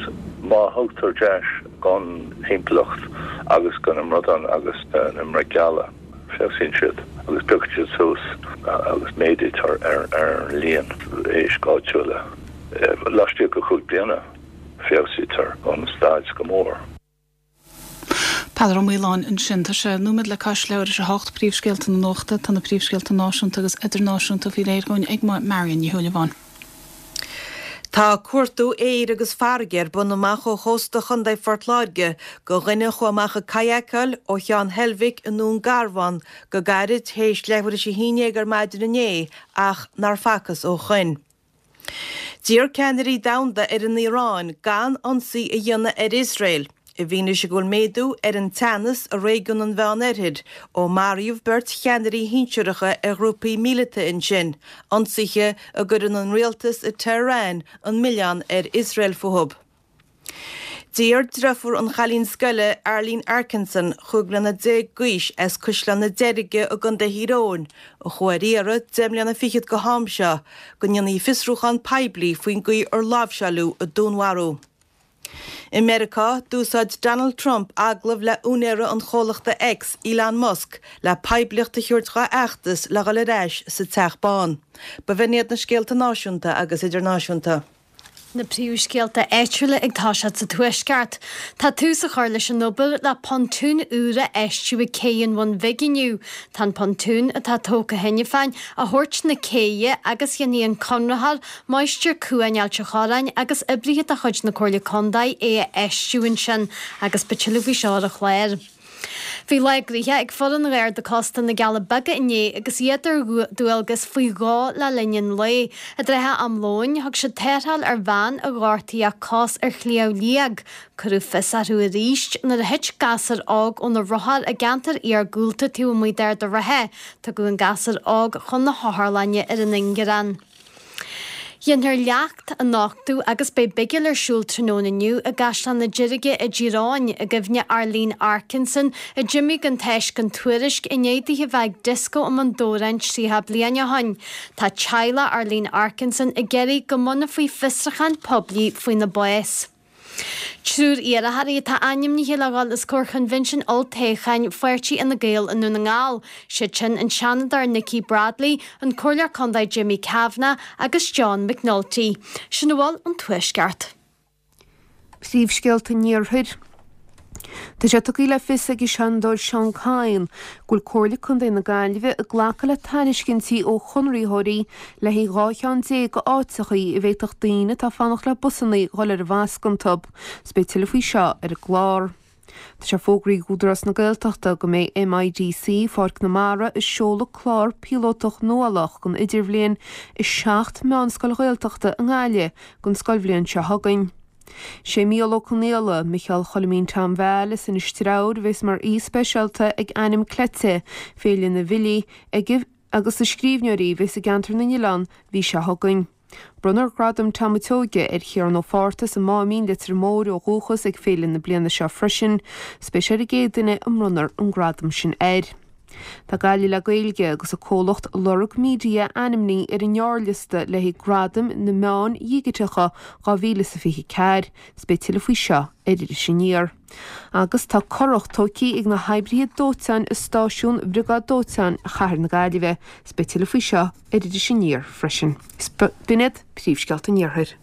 má thugtar deis don thimpeallacht agus do na mbradáin agus na mbroic gheala, feabhsaíonn siad agus piocann siad suas agus méadaítear ar an líon éisc áitiúla. Laistigh de chúig bliana, feabhsaítear an staid go mór. Peadar Ó Maoláin ansin. Tá sé nóiméad le cois leathuair tar éis a hocht, príomhscéalta na nuachta. Tá na príomhscéalta náisiúnta agus idirnáisiúnta faoi réir dhúinn ag Marion Ní Shúilleabháin. Tá cuartú aeir agus farraige ar bun amach ó chósta Chontae Phort Láirge do dhuine a chuaigh amach ag kayakáil ó Cheann Heilbhic i nDún Garbhán go gairid théis leathuair tar éis a haon déag ar maidin inné ach nár facthas ó shoin. D'iarr ceannairí domhanda ar an Iaráin gan ionsaí a dhéanamh ar Iosrael, i bhfianaise go bhfuil méadú ar an teannas i réigiún an Mheán-Oirthir ó maraíodh beirt cheannairí shinsearacha ar ghrúpaí míleata ansin, ionsaithe a gcuireann an rialtas i Tehran an milleán ar Iosrael fúthu. D'iarr deirfiúr an chailín scoile Arlene Arkinson, chúig bliana déag d'aois as Caisleán na Deirge i gContae Thír Eoghain, a chuaigh ar iarraidh deich mbliana fichead go ham seo, go ndéanfaí fiosrúchán poiblí faoin gcaoi ar láimhseáileadh a dúnmharú. I Meiriceá, d'úsáid Donald Trump agallamh le úinéara an chomhlachta X, Elon Musk, le poiblíocht a thabhairt dá fheachtas le dhul ar ais sa Teach Bán. B'in iad na scéalta náisiúnta agus idirnáisiúnta. Na príomhscéalta áitiúla ag toiseacht sa Tuaisceart. Tá tús á chur leis an obair le pontún úr a fheistiú ag Cé an Bhun Bhig inniu. Tá an pontún, atá tógtha cheana féin, á thabhairt na céidhe agus dhéanfaidh an conraitheoir, Máistir Cuain Ailt an Chorráin agus oibrithe de chuid na Comhairle Contae é a fheistiú ansin agus beidh tuilleadh faoi seo ar an chlár. Bhí lá gnoitheach ag foireann Gharda Cósta na gCealla Beaga inné agus iad ar dualgas faoi dhó le linn an lae. I dtrátha am lóin, thug siad tarrtháil ar bhean a ghortaigh a cos ar Shliabh Liag. Cuireadh fios orthu arís nuair a thit gasúr óg óna rothar i gceantar iargúlta taobh amuigh d'Ard an Rátha. Tugadh an gasúr óg chun na hotharlainne ar an Ingearán. Déanfar leacht a nochtadh agus beidh bigil ar siúl tráthnóna inniu i gCaisleán na Deirge i dTír Eoghain i gcuimhne Arlene Arkinson a d'imigh gan tásc gan tuairisc i ndiaidh di a bheith ag dioscó i mBun Dobhráin tríocha bliain ó shin. Tá teaghlach Arlene Arkinson ag iarraidh go mbunófaí fiosrúchán poiblí faoina bás. Triúr iarrthóirí atá ainmnithe le dhul os comhair Choinbhinsiún Olltoghcháin Pháirtí Fhine Gael i nDún na nGall, siad sin an Seanadóir Nikki Bradley, an Comhairleoir Contae Jimmy Kavanagh agus John McNulty. Sin a bhfuil ón Tuaisceart. Príomhscéalta an Iarthair. Tá sé tugtha le fios ag an Seanadóir Seán Kyne go bhfuil Comhairle Contae na Gaillimhe ag glacadh le tairiscintí ó chonraitheoirí le haghaidh dhá cheann déag d'áiteachaí a bhféadfadh daoine atá ag fanacht le busanna dhul ar an bhfasc iontu. 'S beidh tuilleadh faoi seo ar an gclár. Tá sé fógraithe ag Údarás na Gaeltachta go mbeidh MIDC Pháirc na Mara ag seoladh clár píolótach nuálach don idirbhliain i seacht meánscoil Ghaeltachta i nGaillimh don scoilbhliain seo chugainn. Sé Mícheál Ó Conghaile, Micheál Choilimín Tom Val as Inis Treabhair a bheas mar aoi speisialta ag Ainm Cleite, Féile na bhFilí ag agus na Scríbhneoirí a bheas i gCeantar na nOileán mhí seo chugainn. Bronnfar Gradam Tom Seoige ar Chiarán Ó Fátharta as an Máimín, Leitir Móir ó dhúchas ag féile na bliana seo freisin. 'S beidh sé ar an gcéad duine a mbronnfar an gradam sin air. Tá Gaillimh le Gaeilge agus a comhlacht Lorg Media ainmnithe ar an ngearrliosta le haghaidh Gradaim na Meán Dhigiteacha dhá mhíle is a fiche ceathair. 'S beidh tuilleadh faoi seo ar Iris Aniar. Agus tá curach tógtha ag na hoibrithe dóiteáin i stáisiún Bhriogáid Dóiteáin Chathair na Gaillimhe. 'S beidh tuilleadh faoi seo ar Iris Aniar freisin. B'in iad príomhscéalta an Iarthair.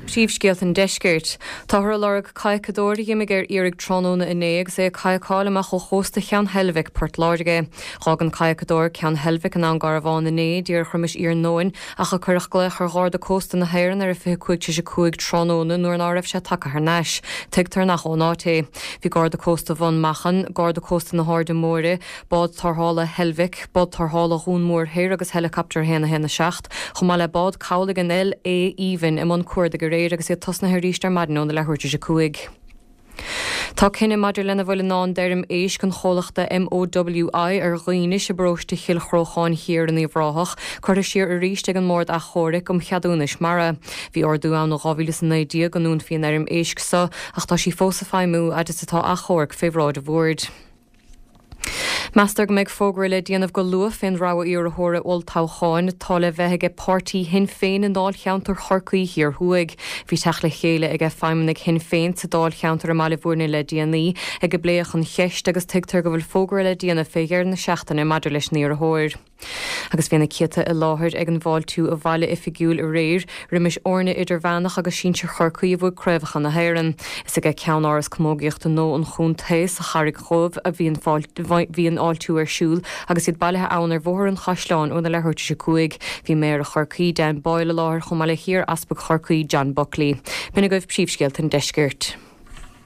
Príomhscéalta an Deiscirt. Táthar ag lorg cadhcadóir a d'imigh ar iarraidh tráthnóna inné agus é ag cadhcáil amach ó chósta Cheann Heilbhic, Port Láirge. Dh'fhág an cadhcadóir Ceann Heilbhic i nDún Garbhán inné, díreach roimis iarnóin, ach a cuireadh glaoch ar Gharda Cósta na hÉireann ar a fiche cúig tar éis a cúig tráthnóna nuair ná raibh sé tagtha thar n-ais. Tuigtear nach ón áit é. Bhí Garda Cósta Bhun Machan, Garda Cósta na hAirde Móire, Bád Tarrthála Heilbhic, Bád Tarrthála Dhún Mór Thoir agus Heileacaptar a haon a haon a seacht, chomh maith le bád cabhlaigh an L A Aoibhinn i mbun cuardaigh aréir agus iad tosnaithe arís ar maidin óna leathuair tar éis a cúig. Tá cinneadh maidir lena bhfuil i ndán d'fheirm éisc an chomhlachta M O W I ar Dhaoinis i bparóiste Chill Chrócháin Thiar in Uíbh Ráthach curtha siar arís ag an mBord Achomhairc um Cheadúnais Mara. Bhí ordú ann ó dhá mhíle is a naoi déag go ndúnfaí an fheirm éisc seo ach tá sí fós ag feidhmiú fhad is atá achomharc fé bhráid an bhoird. Meastar go mbeidh fógra le déanamh go luath fén rogha iarrthóra olltoghcháin atá le bheith aige páirtí Shinn Féin i ndáilcheantar Chorcaí Thiar Thuaidh. Bhí teacht le chéile aige feidhmeannaigh Shinn Féin sa dáilcheantar i mBaile Bhúirne le déanaí ag a bpléadh an cheist agus tuigtear go bhfuil fógra le déanamh fé dheireadh na seachtaine maidir leis an iarrthóir. Agus bhí na céadta i láthair ag an bhfáiltiú a bhaile oifigiúil aréir, roimis fhoirne idirmheánach agus sinsir Chorcaí a bhuaigh craobhacha na hÉireann. Is aige Ceann-Áras Camógaíochta nua an chontae sa Charraig Dhubh a bhí an bhí an fháiltiú ar siúl agus iad bailithe ann ar Bhóthar an Chaisleáin óna leathuair tar éis a cúig. Bhí Méara Chorcaí Dan Boyle i láthair chomh maith le hiar-easpag Chorcaí John Buckley. B'in agaibh príomhscéalta an deiscirt.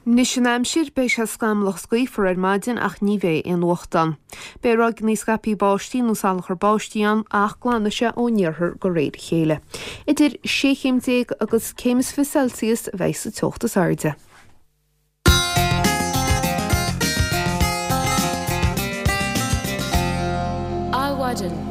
Anois an aimsir, beidh sé scamallach is gaofar ar maidin ach ní bheidh aon fhuacht ann. Beidh ráigeanna scaipthe báistí nó salachar báistí ann ach glanfaidh sé ón iarthar de réir a chéile. Idir sé chéim déag agus céim is fiche Celsius a bheidh sa teocht is airde. Adhmhaidin.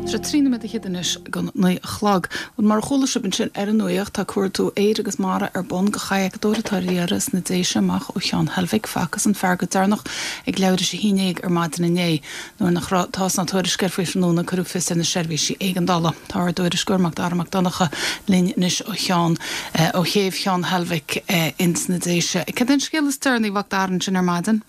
Tá sé trí nóiméad fhichead anois go naoi a chlog. Bhuel, mar a chuala sibh ansin ar an nuacht, tá cuardú aeir agus mara ar bun go chadhcadóir atá ar iarraidh sna Déise amach ó Cheann Heilbhic. Facthas an fear go deireanach ag leathuair tar éis a haon déag ar maidin inné. Nuair nach raibh tásc ná tuairisc air faoi thráthnóna cuireadh fios ar na seirbhísí éigeandála. Tá ár dtuairisceoir Mac Dara Mac Donncha linn anois ó Cheann ó chéibh Cheann Heilbhic ins na Déise. Cad é an scéal is deireanaí Mhac Dara ansin ar maidin?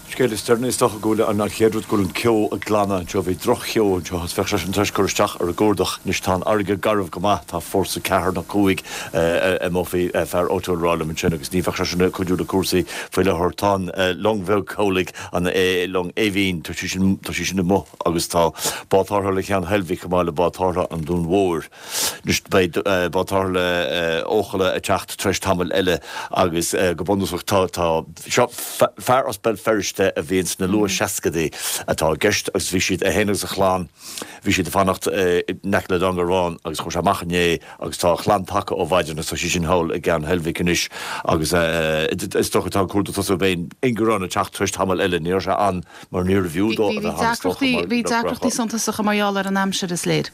Scéal is deireanaí is dócha go bhfuil an chéad rud go bhfuil an ceo ag glanadh anseo, bhí droch-cheo anseo agus bheadh sé sin tar éis cur isteach ar an gcuardach. Anois tá an fharraige garbh go maith, tá fórsa ceathair nó cúig amuigh, bhí fear áitiúil ag rá liom ansin agus ní bheadh sé sin ag cuidiú le cúrsaí faoi láthair. Tá an long bheag chabhlaigh, an long Aoibhinn, tá sí sin, tá sí sin amuigh agus tá bád tarrthála Cheann Heilbhic chomh maith le bád tarrthála an Dúin Mhóir. Anois beidh bád tarrthála Eochalla ag teacht tar éis tamaill eile agus go bunúsach tá, tá, seo fear as Béal Feirste a bhí ins na luath seascadaí atá i gceist agus bhí siad, é féin agus a chlann, bhí siad ag fanacht in aice le Dún Garbhán agus chuaigh sé amach inné agus tá a chlann tagtha ó mhaidin agus tá siad sin thall i gCeann Heilbhic anois agus is dócha tá an cuardach ag tosú, beidh an ingearán ag teacht tar éis tamaill eile, ní raibh sé ann mar níorbh fhiú dó a bheith ann is dócha mar Bhí deacrachtaí suntasacha mar gheall ar an aimsir is léir.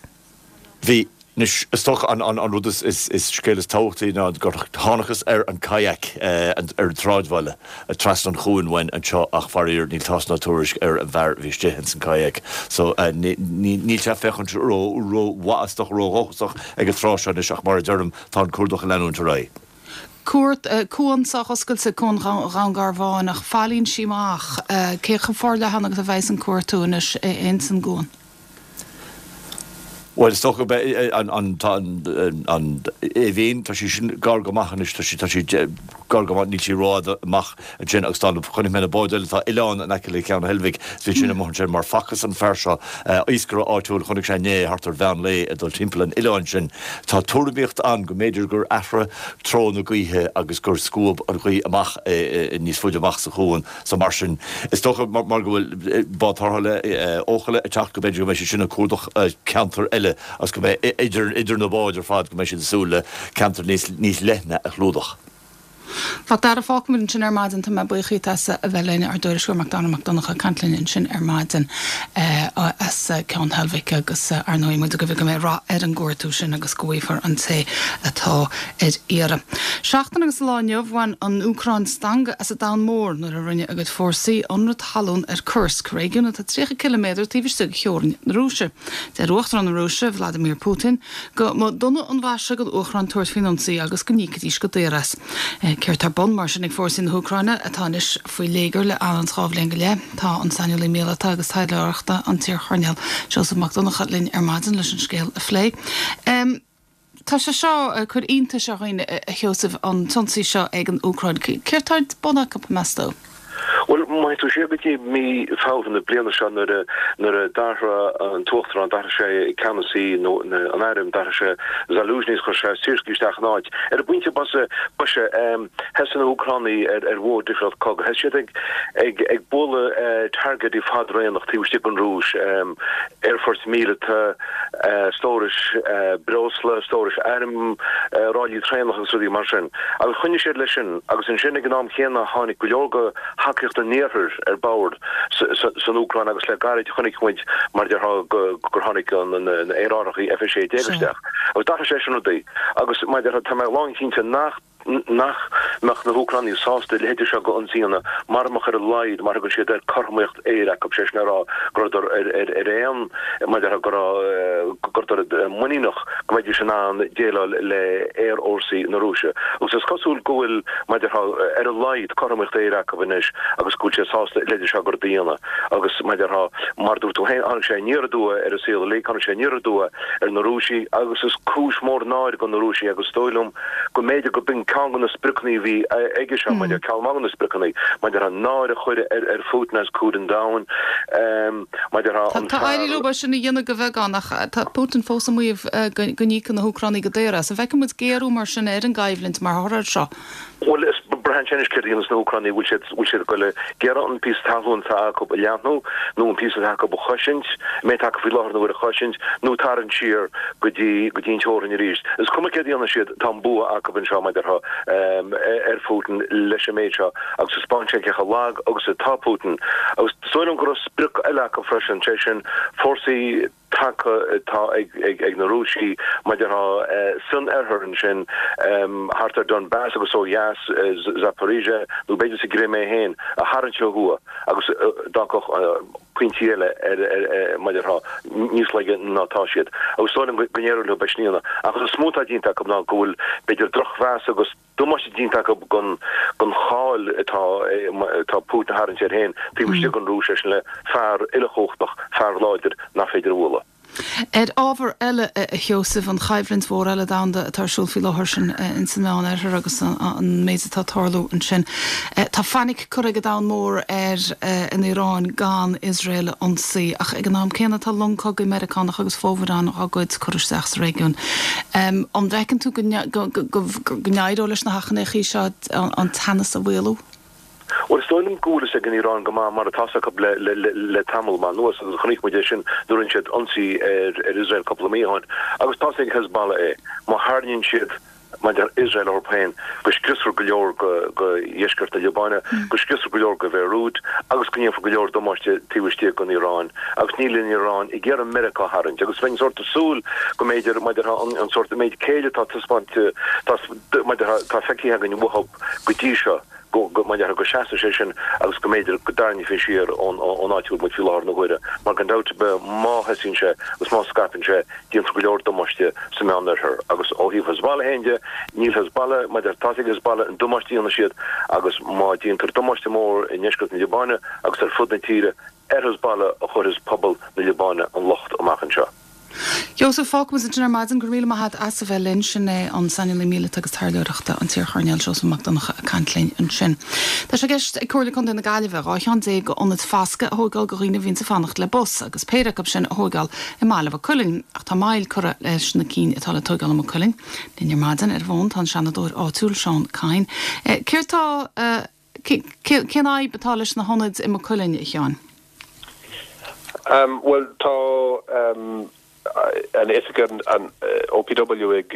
Bhí. Anois, is dócha an an rud is is is scéal is tábhachtaí ná gur thángthas ar an kayak ar an tsráidbhaile trasna an chuain uainn anseo ach faraor níl tásc ná tuairisc ar an bhfear a bhí istigh ins an kayak so ní níl sé ag féachaint ró ró mhaith is dócha ró dhóchasach ag an tráth seo anois ach mar a deirim tá an cuardach ag leanúint ar aghaidh. Cuart, cuan sách oscailte, Cuan Dhún Garbhán, ach faillíonn sí amach. Cé chomh forleathan agus a bheas an cuartú anois ins an gcuan? Bhuel, is dócha go mbeidh an, an, tá an, an Aoibhinn, tá sí sin gar go maith anois, tá sí, tá sí gar go maith, níl sí rófhada amach ansin agus tá na, chonaic mé na báid eile, tá oileán in aice le Ceann Heilbhic, is bhí sin amuigh ansin mar facthas an fear seo, iascaire áitiúil, chonaic sé inné thart ar mheán lae ag dul timpeall an oileáin sin. Tá tuairimíocht ann go mb'fhéidir gur athraigh treo na gaoithe agus gur scuab an ghaoth amach é níos faide amach sa chuan. So mar sin, is dócha mar go bhfuil bád tarrthála Eochalla ag teacht go mb'fhéidir go mbeidh siad sin ag cuardach ceantar eile agus go mbeidh idir idir na báid ar fad go mbeidh siad ag súil le ceantar níos níos leithne a chlúdach. Macdara, fágfaimid ansin ar maidin, tá mé buíoch díot as a bheith linn, ár dtuairisceoir Macdara Mac Donncha ag caint linn ansin ar maidin as Ceann Heilbhic agus ar ndóigh muid ag guí go mbeidh rath ar an gcuartú sin agus go bhfaighfear an té atá ar iarraidh. Seachtain agus lá inniu bhain an Úcráin stangadh as an domhan mór nuair a rinne a gcuid fórsaí ionradh talún ar Kursk, réigiún atá tríocha ciliméadar taobh istigh de theorainn na Rúise. Deir Uachtarán na Rúise, Vladimir Putin, go mba dona an mhaise don Úcráin tabhairt faoin ionsaí agus go n-íocfaidís go daor as. Céard tá ar bun mar sin ag fórsaí na hÚcráine, atá anois faoi léigear le anonn dhá bhliain go leith? Tá an saineolaí míleata agus taidhleoireachta, an t-iarchoirnéal Seosamh Mac Donncha linn ar maidin leis an scéal a phlé. Tá sé seo ag cur iontais ar dhaoine, a Sheosaimh, an t-ionsaí seo ag an Úcráin. Céard tá ar bun acu, meas tú? Bhuel, má théann tú siar go dtí mí Feabhra na bliana seo nuair a nuair a d'athraigh an tUachtarán, d'athraigh sé ceannasaí nó an airm, d'athraigh sé Zaluzhny is chuir sé Syrskyi isteach ina áit. Ar an bpointe boise, boise, thosaigh na hÚcránaigh ar ar mhodh difriúil cogaidh. Thosaigh siad ag ag ag bualadh targaidí fadaraonach taobh istigh den Rúis, aerfoirt míleata, stórais breosla, stórais airm, ráillí traenach agus rudaí mar sin. Agus choinnigh siad leis sin agus ansin ag an am chéanna tháinig go leor de thacaíocht an Iarthair ar bord san Úcráin agus le gairid chonaic muid mar a déarfá gur tháinig na aerárthaí F a sé déag isteach agus d'athraigh sé sin rudaí agus mar a déarfá tá mé lánchinnte nach nach mbeadh na hÚcránaigh sásta a leithéide seo d'ionsaí a dhéanamh mara mbeadh ar a laghad mar a thugann siad air cothromaíocht aeir acu, sé sin le rá go rabhadar ar ar ar aon mar a déarfá go raibh go rabhadar muiníneach go mbeidís in ann déileáil le aerfhórsaí na Rúise. Agus is cosúil go bhfuil, mar a déarfá, ar a laghad cothromaíocht aeir acu anois agus go bhfuil siad sásta a leithéide seo de rud a dhéanamh. Agus, mar a déarfá, mar a dúirt tú féin, tháinig sé aniar aduaidh ar an saol uilig, tháinig sé aniar aduaidh ar na Rúisigh agus is cúis mhór náire do na Rúisigh agus is dóigh liom go mb'fhéidir go b'in ceann de na spriocanna a bhí aige seo, mar a déarfá, ceann maith de na spriocanna, mar a déarfá, náire a chur ar Phutin os comhair an domhain. Mar a déarfá, an Tá éirithe fear. leo é sin a dhéanamh de bheagán ach tá Putin fós ag maíomh go n-íocfaidh na hÚcránaigh go daor as. An bhfeicfidh muid géarú mar sin ar an gcoimhlint mar thoradh air seo? Bhuel, is braitheann sé anois céard a dhéanfas na hÚcránaigh, bhfuil siad, bhfuil siad ag dul ag iarraidh an píosa talún atá acu a leathnú, nó an píosa atá acu a chosaint, an méid atá acu faoi láthair na huaire a chosaint, nó tarraingt siar go dtí, go dtí an teorainn arís. Is cuma céard a dhéanfaidh siad, tá an bua acu anseo, mar a déarfá, ar Phutin leis an méid seo, agus taispeánann sé cé chomh lag agus atá Putin. Agus is dóigh liom go raibh sprioc eile acu freisin, sé sin fórsaí taca atá ag na Rúisigh, mar a déarfá, san oirthear ansin, thart ar Donbass agus ó dheas, Zaporizhzhia, nó b'fhéidir sa gCrimé féin, a tharraingt ó thuaidh agus d'fhágfadh pointí eile ar, mar a déarfá, níos laige ná atá siad. Agus is dóigh liom go n-éireoidh leo é sin a dhéanamh. Ach is mó atá déanta acu ná go bhfuil, b'fhéidir, drochmheas agus. damáiste déanta acu don don cháil atá atá Putin a tharraingt air féin taobh istigh den Rúis, sé sin le fear uilechumhachtach, fear láidir nach féidir a bhualadh. Ar ábhar eile, a Sheosaimh, an choimhlint mhór eile domhanda atá ar siúl faoi láthair sin ins an Meán-Oirthear agus an méid atá ag tarlú ansin. Tá fainic curtha ag an domhan mór ar an Iaráin gan Iosrael a ionsaí ach ag an am céanna tá long cogaidh Meiriceánach agus fomhuireán dá gcuid curtha isteach sa réigiún. An bhfeiceann tú go n-éireoidh leis na hachainíochaí seo an teannas a mhaolú? Bhuel, is dóigh liom go bhfuil fhios ag an Iaráin go maith mar atá fhios acu le tamall maith anuas agus chonaic muid é sin nuair a rinne siad ionsaí ar Iosrael cúpla mí ó shin. Agus tá fhios ag Hezbollah é. Má tharraingíonn siad maidir le Iosrael orthu féin, go scriosfar go leor de dheisceart na Liobáine, go scriosfar go leor de Bhéiriút agus go ndéanfar go leor damáiste taobh istigh den Iaráin. Agus níl an Iaráin ag iarraidh Meiriceá a tharraingt. Agus bheinn sórt ag súil go mb'fhéidir, maidir le an sórt, an méid céille atá taispeáinte, maidir le, atá feicthe againn uathu go dtí seo, go, maidir le, go seasfadh sé sin agus go mb'fhéidir go dtarraingeofaí siar ón áit a bhfuil muid faoi láthair na huaire. Mar gan dabht ar bith má thosaíonn sé agus má scaipeann sé, déanfar go leor damáiste sa Meánoirthear. Agus ó thaobh Hezbollah féin de, níl Hezbollah, maidir le, tá fhios ag Hezbollah an damáiste a dhéanfaidh siad agus má déantar damáiste mór i ndeisceart na Liobáine agus ar fud na tíre, ar Hezbollah a chuirfeas pobal na Liobáine an locht amach anseo. Joseph, fágfaimid ansin ar maidin. Go raibh míle maith agat as a bheith linn. Sin é an saineolaí míleata agus taidhleoireachta, an t-iarchoirnéal Seosamh Mac Donncha ag caint linn ansin. Tá sé i gceist ag Comhairle Contae na Gaillimhe dhá cheann déag d'ionaid foscaidh a thóigeáil do dhaoine a bhíonns ag fanacht le bus agus péire acu sin a thóigeáil i mbaile Mhaigh Cuilinn. Ach tá moill curtha leis na cinn atá le tóigeáil i Maigh Cuilinn. Linn ar maidin ar an bhfón tá an Seanadóir áitiúil Seán Kyne. Céard tá, cén fhadhb atá leis na hionaid i Maigh Cuilinn, a Sheáin? Bhuel, tá an oifig an OPW ag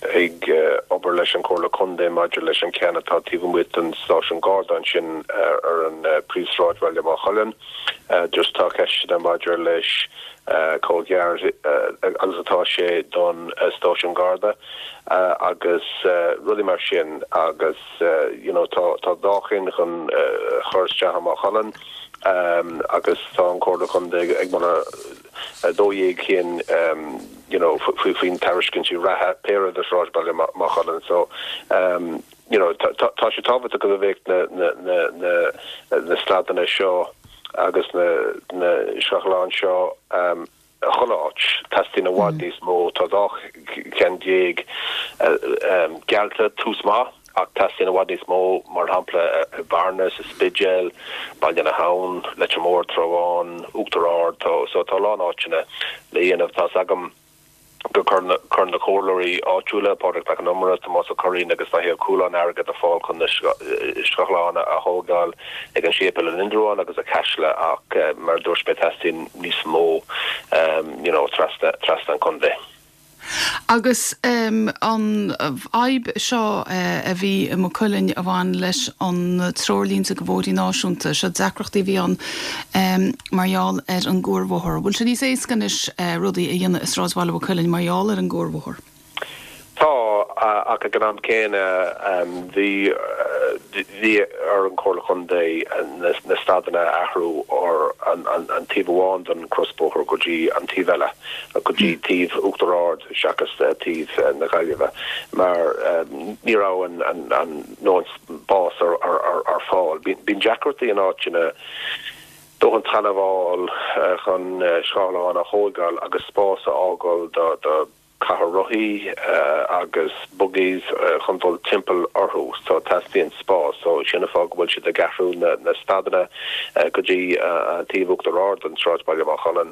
ag obair leis an Chomhairle Contae maidir leis an ceann atá taobh amuigh den stáisiún Garda ansin ar an príomhshráid Bhaile Maigh Cuilinn. Just tá ceisteanna maidir leis chomh gearr agus atá sé don stáisiún Garda agus rudaí mar sin agus you know tá tá dhá cheann chun chur isteach i Maigh Cuilinn agus tá an Chomhairle Contae ag moladh dó dhéag cinn you know faoi faoin tairiscintí reatha péire do Shráidbhaile Maigh Cuilinn so you know tá tá sé tábhachtach go mbeadh na na na na na stadanna seo agus na na scáthláin seo um, chuile áit teastaíonn i bhfad níos mó tá dhá cheann déag um, geallta tús maith ach teastaíonn i bhfad níos mó mar shampla i Bearna sa Spidéal, Baile na hAbhann, Leitir Móir, Trá Bháin, Uachtar Ard tá so tá a lán áiteanna le dhéanamh tá's agam gur chuir na chuir na comhairleoirí áitiúla Pádraig Mac Con Iomaire, Tomás Ó Curraoin agus Daithí Ó Cualáin airgead ar fáil chun na scáthláin a thógáil ag an séipéal in Indreabhán agus i gCaiseal ach mar a dúirt mé teastaíonn níos mó um, you know, trasna trasna an chontae. Agus um, an fhadhb seo uh, a bhí i Maigh Cuilinn a bhain leis an treoirlínte go bhóithrí náisiúnta seo deacrachtaí bhí ann um, mar gheall ar an gcuarbhóthar. Bhfuil sé níos éasca anois uh, rudaí a dhéanamh i sráidbhaile Mhaigh Cuilinn mar gheall ar an gcuarbhóthar? Tá ach ag an am céanna bhí bhí ar an Chomhairle Contae na stadanna a athrú ar an an taobh amháin den crosbhóthar go dtí an taobh eile go dtí taobh Uachtar Ard seachas taobh na Gaillimhe mar ní raibh an an an dóthain spás ar ar ar ar fáil. Bíonn deacrachtaí in áiteanna dóthain talamh a fháil chun scáthláin a thógáil agus spás a fhágáil do do cathaoir rothaí agus buggies chun dul timpeall orthu so teastaíonn spás so sin an fáth go bhfuil siad ag athrú na na stadanna go dtí taobh Uachtar Ard an sráidbhaile Maigh Cuilinn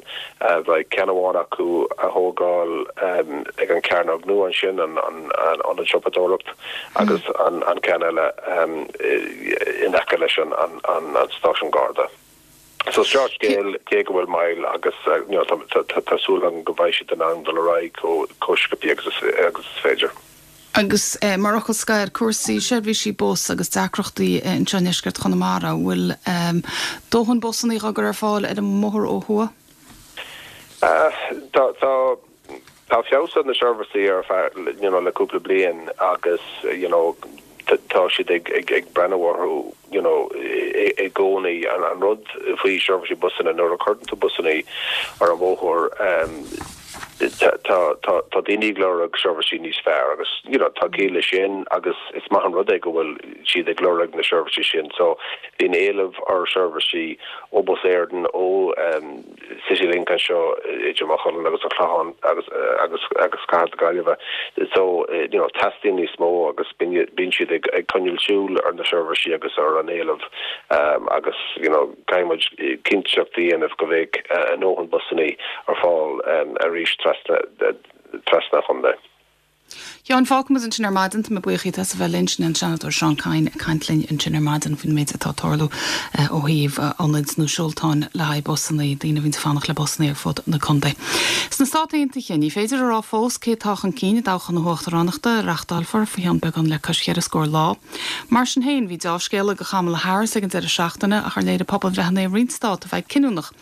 bheidh ceann amháin acu a thógáil ag an Cearnóg nua ansin an an an an siopadóireacht agus an an ceann eile in aice leis an an an stáisiún Garda. So seo scéal cé go bhfuil moill agus tá súil agam go mbeidh siad in ann dul ar aghaidh chomh sciobtha agus agus is féidir. Agus eh, mar fhocal scoir cúrsaí seirbhísí bus agus deacrachtaí eh, anseo i ndeisceart Chonamara bhfuil um, dóthain busanna á gcur ar fáil ar an mbóthar ó thuaidh? Uh, tá tá tá feabhas na seirbhísí ar you know, le cúpla bliain agus you know, tá siad ag ag ag breathnú orthu you know i gcónaí an an rud faoi seirbhísí busanna nuair a chuireann tú busanna ar an bhóthar um, tá tá tá daoine ag lorg seirbhísí níos fearr agus you know tá ciall leis sin agus is maith an rud é go bhfuil siad ag lorg na seirbhísí sin so bíonn éileamh ar seirbhísí ó Bus Éireann ó um, Citylink anseo idir Maigh Cuilinn agus an Clochán agus agus agus Cathair na Gaillimhe so you know teastaíonn níos mó agus bíonn siad ag ag coinneáil súil ar na seirbhísí agus ar an éileamh um, agus you know caithfidh muid cinnteacht a dhéanamh go mbeidh uh, a ndóthain busanna ar fáil um, arís trasna trasna an chontae. Sheáin fágfaimid ansin ar maidin tá mé buíoch as a bheith linn sin an Seanadóir Seán Kyne ag caint linn ansin ar maidin faoin méid atá ag tarlú ó thaobh ionaid nó seoltáin le haghaidh busanna daoine a bhíonn ag fanacht le busanna ar fud na contae. Sna Stáit Aontaithe ní féidir a rá fós cé atá chun cinn i dtoghchán na huachtaránachta a reáchtálfar faoi cheann beagán le cois cheithre scór lá. Mar sin féin bhí dea-scéala do Kamala Harris ag an deireadh seachtaine ach ar léirigh pobalbhreitheanna i roinnt stát a bheidh cinniúnach.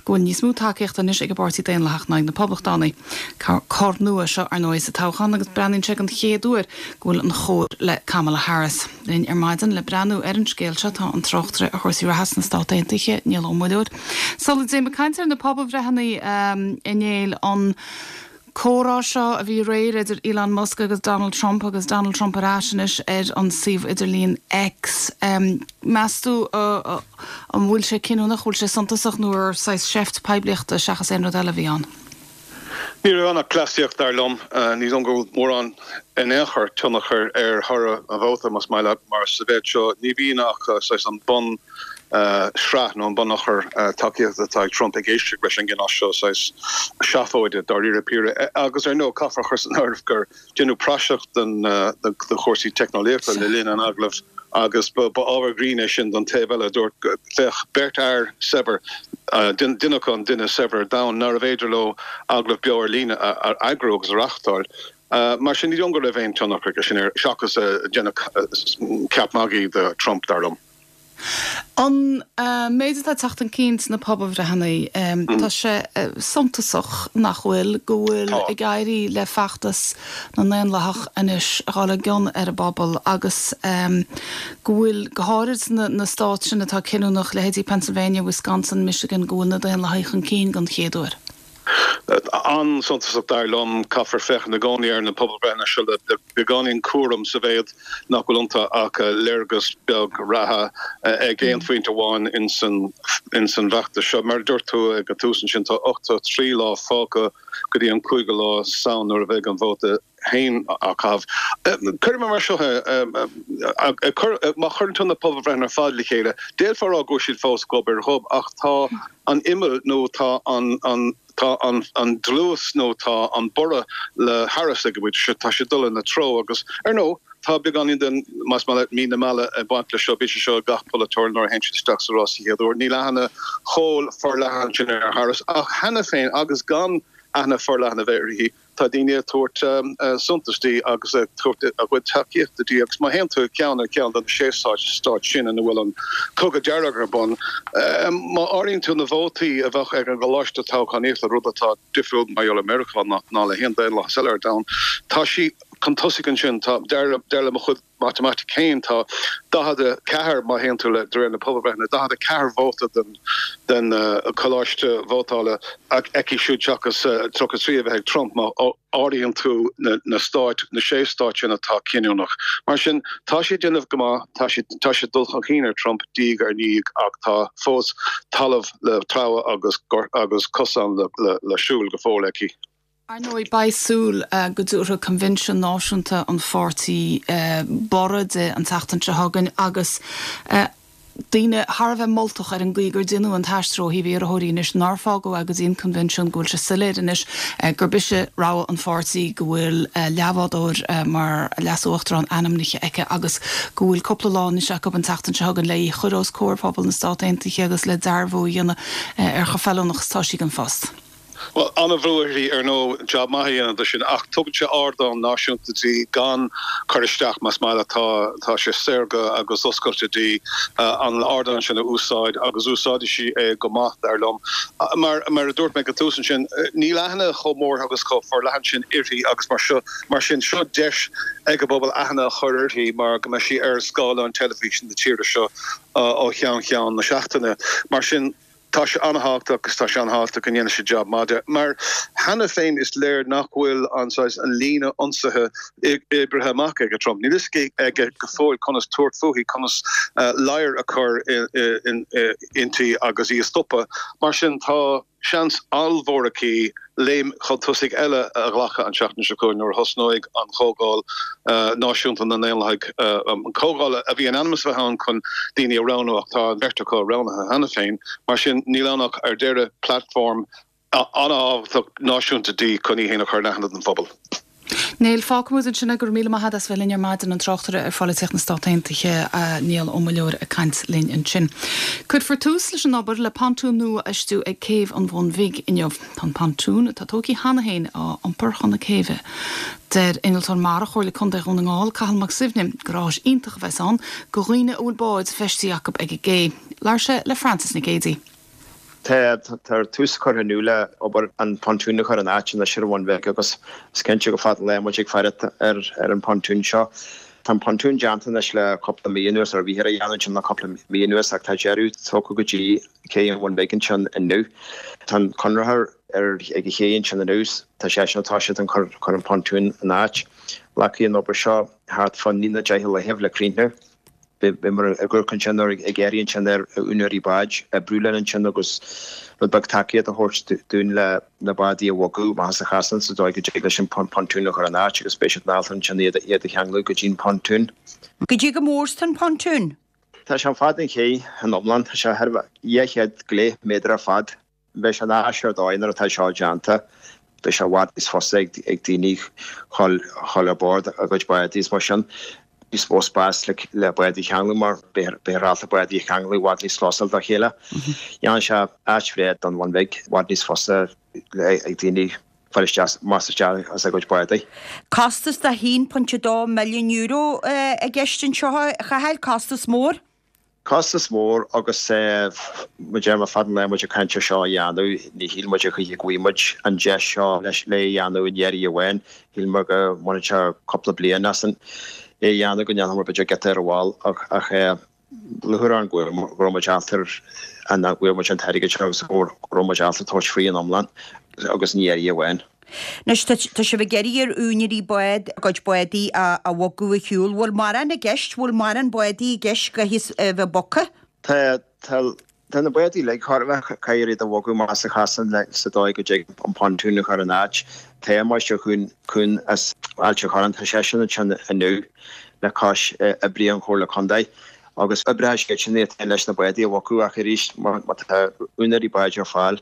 Go bhfuil níos mó tacaíochta anois ag an bPáirtí Daonlathach ná ag na Poblachtánaigh. Cor nua seo ar ndóigh sa toghchán agus breathnaíonn sé an chéad uair go bhfuil an chóir le Kamala Harris. Linn ar maidin le breathnú ar an scéal seo tá an tráchtaire ar chúrsaí reatha sna Stáit Aontaithe Niall Ó Muilleoir. Sula dtéim ag caint ar na pobalbhreitheanna um, innéil an comhrá seo a bhí aréir idir Elon Musk agus Donald Trump agus Donald Trump ar ais anois ar an suíomh idirlín X. Um, meas tú uh, uh, an bhfuil sé cinniúnach bhfuil sé suntasach nó ar saghas seift poiblíochta seachas aon rud eile a bhí ann. Ní raibh ann ach cleasaíocht dar liom ní dóigh go bhfuil mórán in aon chor tionchar ar thoradh an vóta más maith leat mar sa mhéid seo ní bhíonn ach saghas an bun sraith nó an bunachar tacaíochta atá ag Trump ag éisteacht leis an gcineál seo saghas seafóide dáiríre píre agus ar ndóigh caithfear a chur san áireamh gur déanadh praiseach den de chúrsaí teicneolaíochta le linn an agallaimh agus ba ábhar grinn é sin don taobh eile a dúirt féach beirt fhear saibhir duine acu an duine is saibhre ar domhan nárbh fhéidir leo agallamh beo ar líne a eagrú agus a reáchtáil. Mar sin ní dóigh liom go raibh aon tionchar aige sin air, seachas déanamh ceap magaidh de Trump, dar liom. An méid atá ag teacht chun cinn sna pobalbhreitheanna, tá sé suntasach, nach bhfuil, go bhfuil ag éirí le feachtas na nDaonlathach anois a dhul i gcion ar an bpobal agus go bhfuil, go háirid sna na stáit sin atá cinniúnach, leithéidí Pennsylvania, Wisconsin, Michigan, go bhfuil na Daonlathaigh chun cinn don chéad uair. An-suntasach dar liom. Caithfear féachaint i gcónaí ar na pobalbhreitheanna seo le beagáinín cúraim sa mhéad nach bhfuil iontu ach léargas beag reatha ag aon phointe amháin ins an bhfeachtas seo. Mar a dúirt tú ag an tús ansin, tá ochtó trí lá fágtha go dtí an cúigiú lá Samhain nuair a bheidh an vóta féin á chaitheamh. Cuirfidh mé mar seo é, má chuireann tú na pobalbhreitheanna ar fad le chéile, d'fhéadfá a rá go bhfuil siad fós gob ar ghob ach tá an imeall nó tá an tá an dlús nó tá an borradh le Harris ag an bpointe seo, tá sé ag dul ina treo agus, ar ndóigh, tá beagáinín den, más maith leat, mí na meala ag baint leis seo, bíonn sé seo ag gach polaiteoir nuair a théann siad isteach sa rás sa chéad uair. Níl aithne chomh forleathan sin ar Harris ach cheana féin agus gan aithne forleathan a bheith uirthi, Tá daoine ag tabhairt suntais di agus ag tabhairt a gcuid tacaíochta di agus má théann tú ceann ar cheann de na sé stát sin ina bhfuil an cogadh dearg ar bun, má áiríonn tú na vótaí a bheadh ag an gcoláiste toghchánaíochta, rud atá difriúil mar gheall ar Meiriceá ná le haon daonlathas eile ar domhan, tá sí chun tosaigh ansin. Tá, dar le mo chuid matamaitic féin, tá daichead a ceathair, má théann tú le de réir na pobalbhreitheanna, daichead a ceathair vóta den den choláiste vótála aici siúd seachas tríocha a trí a bheith ag Trump má áiríonn tú na stáit, na sé stát sin atá cinniúnach. Mar sin, tá sí ag déanamh go maith, tá sí tá sí ag dul chun cinn ar Trump diaidh ar ndiaidh ach tá fós talamh le treabhadh agus agus cosán le le siúl go fóill aici. Ar ndóigh, beidh súil go dtabharfaidh Coinbhinsiún Náisiúnta an pháirtí borradh di an tseachtain seo chugainn agus daoine thar a bheith moltach ar an gcaoi gur deineadh an t-aistriú ó thaobh iarrthóirí anois, nár fágadh é go dtí an Coinbhinsiún, go bhfuil sé soiléir anois gurb ise rogha an pháirtí, go bhfuil leathbhádóir mar leas-uachtarán ainmnithe aici agus go bhfuil cúpla lá anois acu an tseachtain seo chugainn le í a chur os comhair phobal na Stát Aontaithe agus le dearbhú a dhéanamh ar chomh feiliúnach is atá sí don phost. Bhuel, an-bhrú uirthi, ar ndóigh, jab maith a dhéanamh de sin, ach tugann sé ardán náisiúnta di gan cur isteach, más maith leat. Tá, tá sé saorga agus oscailte di an ardán sin a úsáid agus úsáidfidh sí é go maith, dar liom. Mar, mar a dúirt mé ag an tús ansin, níl aithne chomh mór agus chomh forleathan sin uirthi agus mar seo, mar sin, seo deis ag an bpobal aithne a chur uirthi mar go mbeidh sí ar scáileáin teilifíse na tíre seo ó cheann ceann na seachtaine. Mar sin. Tá sé an-thábhachtach agus tá sé an-thábhachtach go ndéanfaidh sí jab maith de, mar cheana féin is léir nach bhfuil an saghas, an líne ionsaithe oibrithe amach ag Trump. Níl fhios aige go fóill conas tabhairt fúithi, conas ladhar a chur inti agus í a stopadh. Mar sin tá seans ollmhór aici léim chun tosaigh eile a ghlacadh an tseachtain seo chugainn nuair a thosnóidh an Chomhdháil Náisiúnta na nDaonlathaigh, an comhdháil a bhí in ainm is a bheith ann chun daoine a roghnú ach tá an bheirt acu roghnaithe cheana féin. Mar sin, níl ann ach ar deireadh platform an-thábhachtach náisiúnta di chun í féin a chur in aithne don phobal. Niall, fágfaimid ansin é. Go raibh míle maith agat as bheith linn ar maidin, an tráchtaire ar pholaitíocht na Stát Aontaithe, Niall Ó Muilleoir ag caint linn ansin. Cuirfear tús leis an obair le pontún nua a fheistiú ag Céibh an Bhun Bhig inniu. Tá an pontún, atá tógtha cheana féin, á iompar chun na céibhe. Deir Innealtóir Mara Chomhairle Contae Dhún na nGall, Cathal Mac Suibhne, gur áis iontach a bheas ann do dhaoine a bhfuil báid feistithe acu ag an gcé. Labhair sé le Frances Nic Géadaigh. Tá tús curtha inniu le obair an pontún a chur in áit anois ar an Bhun Bhig agus is cinnte go fada an lá muid ag faire ar an pontún seo. Tá an pontún déanta anois le cúpla mí anuas, ar bhíthear á dhéanamh ansin le cúpla mí anuas ach tá deireadh tugtha go dtí cé an Bhun Bhig ansin inniu. Tá an conraitheoir ar ag an ché ansin inniu, tá seisean ag toiseacht ag cur an pontún in áit. Glacfaidh an obair seo thart fá naoi nó deich laethibh le críochnú. Bhíomar ag amharc ansin ar ag iarraidh ansin ar úinéirí báid oibriú linn ansin agus rud beag tacaíocht a thabhairt dúinn le na bádaí a bhogadh amach as an chasán sa dóigh go dtig leis an pontún a chur in áit agus beidh siad in ábalta ansin iad iad a cheanglú go dtí an pontún. Goidé chomh mór is tá an pontún. Tá sé an fad an ché in iomlán, tá sé thar dhá chéad go leith méadar ar fad. Beidh sé in áis ar dóigh nuair atá seo déanta. Beidh sé i bhfad níos fusa ag daoine dhul ar bord a gcuid bádaí is mar sin. Níos mó spás le bádaí a cheanglú mar beifear ábalta bádaí a cheanglú i bhfad níos closáil dá chéile. Dhéanfaidh sé áit bhreá don Bhun Bhig, i bhfad níos fusa ag daoine fáil isteach amach is isteach as a gcuid bádaí. Costas de haon pointe dó milliún euro i gceist anseo, a Chathail, costas mór? Costas mór agus mar a deir mé fad an lae muid ag caint ar seo a dhéanamh, ní shíl muid a choíche go bhfaighidh muid an deis seo leis le é a dhéanamh i ndiaidh amháin. Shíl muid go mbainfeadh sé cúpla bliain asainn é a dhéanamh, go ndéanfadh muid b'fhéidir giota ar a bhall ach ach lúcháir orainn go raibh muid ábalta an go bhfuair muid an t-airgead seo agus go raibh muid ábalta tabhairt faoi in iomlán agus ní iarraidh amháin. Anois, tá sibh ag iarraidh ar úinéirí bád a gcuid bádaí a bhogadh ar shiúl. Bhfuil mórán i gceist? Bhfuil mórán bádaí i gceist go a bheith bogtha? Tá, tá, tá na bádaí uilig chóir a bheith, caithfear iad a bhogadh amach as an chasán le, sa dóigh go dtig an pontún a chur in áit. Tá Máistir Kuhn as Ailt an Chorráin, tá seisean ansin inniu le cois oibrithe an Chomhairle Contae agus oibreoidh siad sin iad féin leis na bádaí a bhogadh ach arís má tá úinéirí báid ar fáil,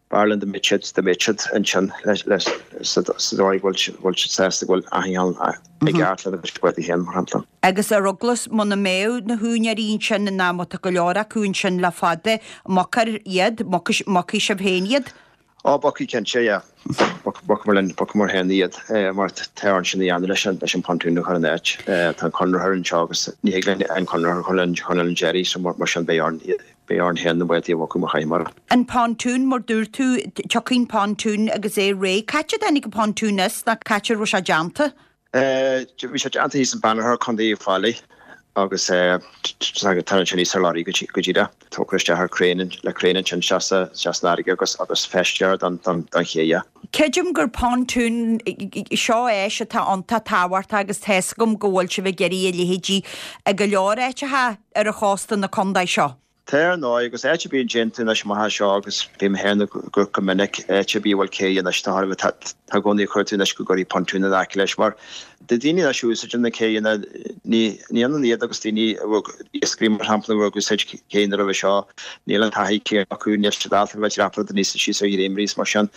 B'fhearr linn dá mbeadh siad, dá mbeadh siad ansin le, sa dóigh go bhfuil siad sásta go bhfuil achan rud i gceart lena gcuid bádaí féin, mar shampla. Agus ar eagla muna mbeadh na húinéirí ansin ná má tá go leor acu ansin le fada, bogfar iad, bogfaidh sibh féin iad? Ó, bogfaidh cinnte, yeah. Bogfaidh linn, bogfaidh muid féin iad mar tá orainn sin a dhéanamh leis an, leis an pontoon a chur in áit. Tá an conraitheoir anseo agus ní thig linn an conraitheoir a chur linn chun an deiridh so mar sin beidh orainn iad. Beidh orainn féin na bádaí a bhogadh má chaithfimid. An pontún, mar dúirt tú, tiocfaidh an pontún agus é réidh. Cá háit a dtáinig an pontún as nó cá háit a raibh sé déanta? Bhí sé déanta thíos in Banagher, Contae Uíbh Fhailí agus tá ansin thíos ar lorry go díreach. Tógtha isteach ar crane, le crane ansin isteach san fharraige agus agus feistithe don don ché, yeah. Creidim gur pontún seo áis atá iontach tábhachtach agus tá's agam go bhfuil sibh ag iarraidh a leithéidí i go leor áiteacha ar an chósta na contae seo. Tá ar ndóigh, agus áit ar bith a dtéann tú anois amach as seo agus bím féin ag amharc go minic, áit ar bith a bhfuil cé anois, tá thar a bheith, tá i gcónaí ag cuartú anois go gcuirfí pontún in aice leis mar do daoine anois a úsáideann na céanna, ní ní ionann iad agus daoine a bhfuil, iascairí mar shampla, a bhfuil ag úsáid céanna roimhe seo, níl an taithí céanna acu, níl siad ábalta a bheith ag dreapadh aníos is síos ar dhréimirí is mar sin.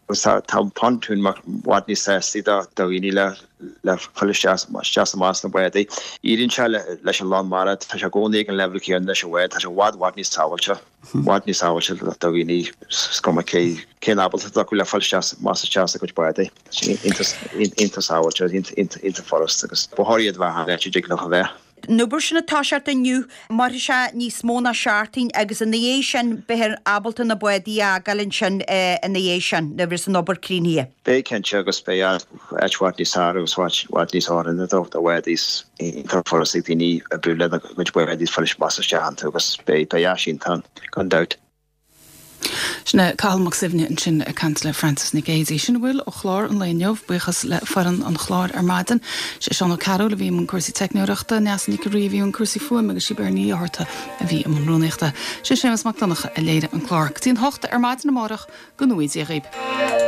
Agus tá tá an pontún i bhfad níos sástaí do dhaoine le le fáil isteach isteach is amach as na bádaí. Éiríonn sé le leis an lán mara, tá sé i gcónaí ag an leibhéal céanna leis an bhád, tá sé i bhfad bhfad níos sábháilte, i bhfad níos sábháilte do dhaoine is cuma cé cén ábaltacht atá acu le fáil isteach amach is isteach as a gcuid bádaí. Tá sé iontach iontach sábháilte, iontach iontach furast agus ba chóir iad a bheith achan áit a dtig leo a bheith. An obair sin ag toiseacht inniu, mairfidh sé níos mó ná seachtain agus ina dhiaidh sin beifear ábalta na bádaí a fhágáil ansin ina dhiaidh sin, nuair a bheas an obair críochnaithe. Beidh cinnte agus beidh áit i bhfad níos fearr agus áit i bhfad níos oiriúnaí do bhádaí is iontach furast ag daoine oibriú lena gcuid bádaí is fáil amach is isteach iontu agus beidh áis iontach ann gan dabht. Sin é Cathal Mac Suibhne ansin ag caint le Frances Nic Géadaigh. Sin a bhfuil ó chlár an lae inniu. Buíochas le foireann an chláir ar maidin. Sé Seán Ó Cearúil a bhí i mbun cúrsaí teicneoireachta, Neasa Nic an Rí a bhí i mbun cúrsaí fuaime agus sí Beirní Ní Fhátharta a bhí i mbun rúnaíochta. Sé Séamus Mac Donncha a léirigh an clár. Go dtí an hocht ar maidin amárach, go ngnóthaí Dia dhaoib.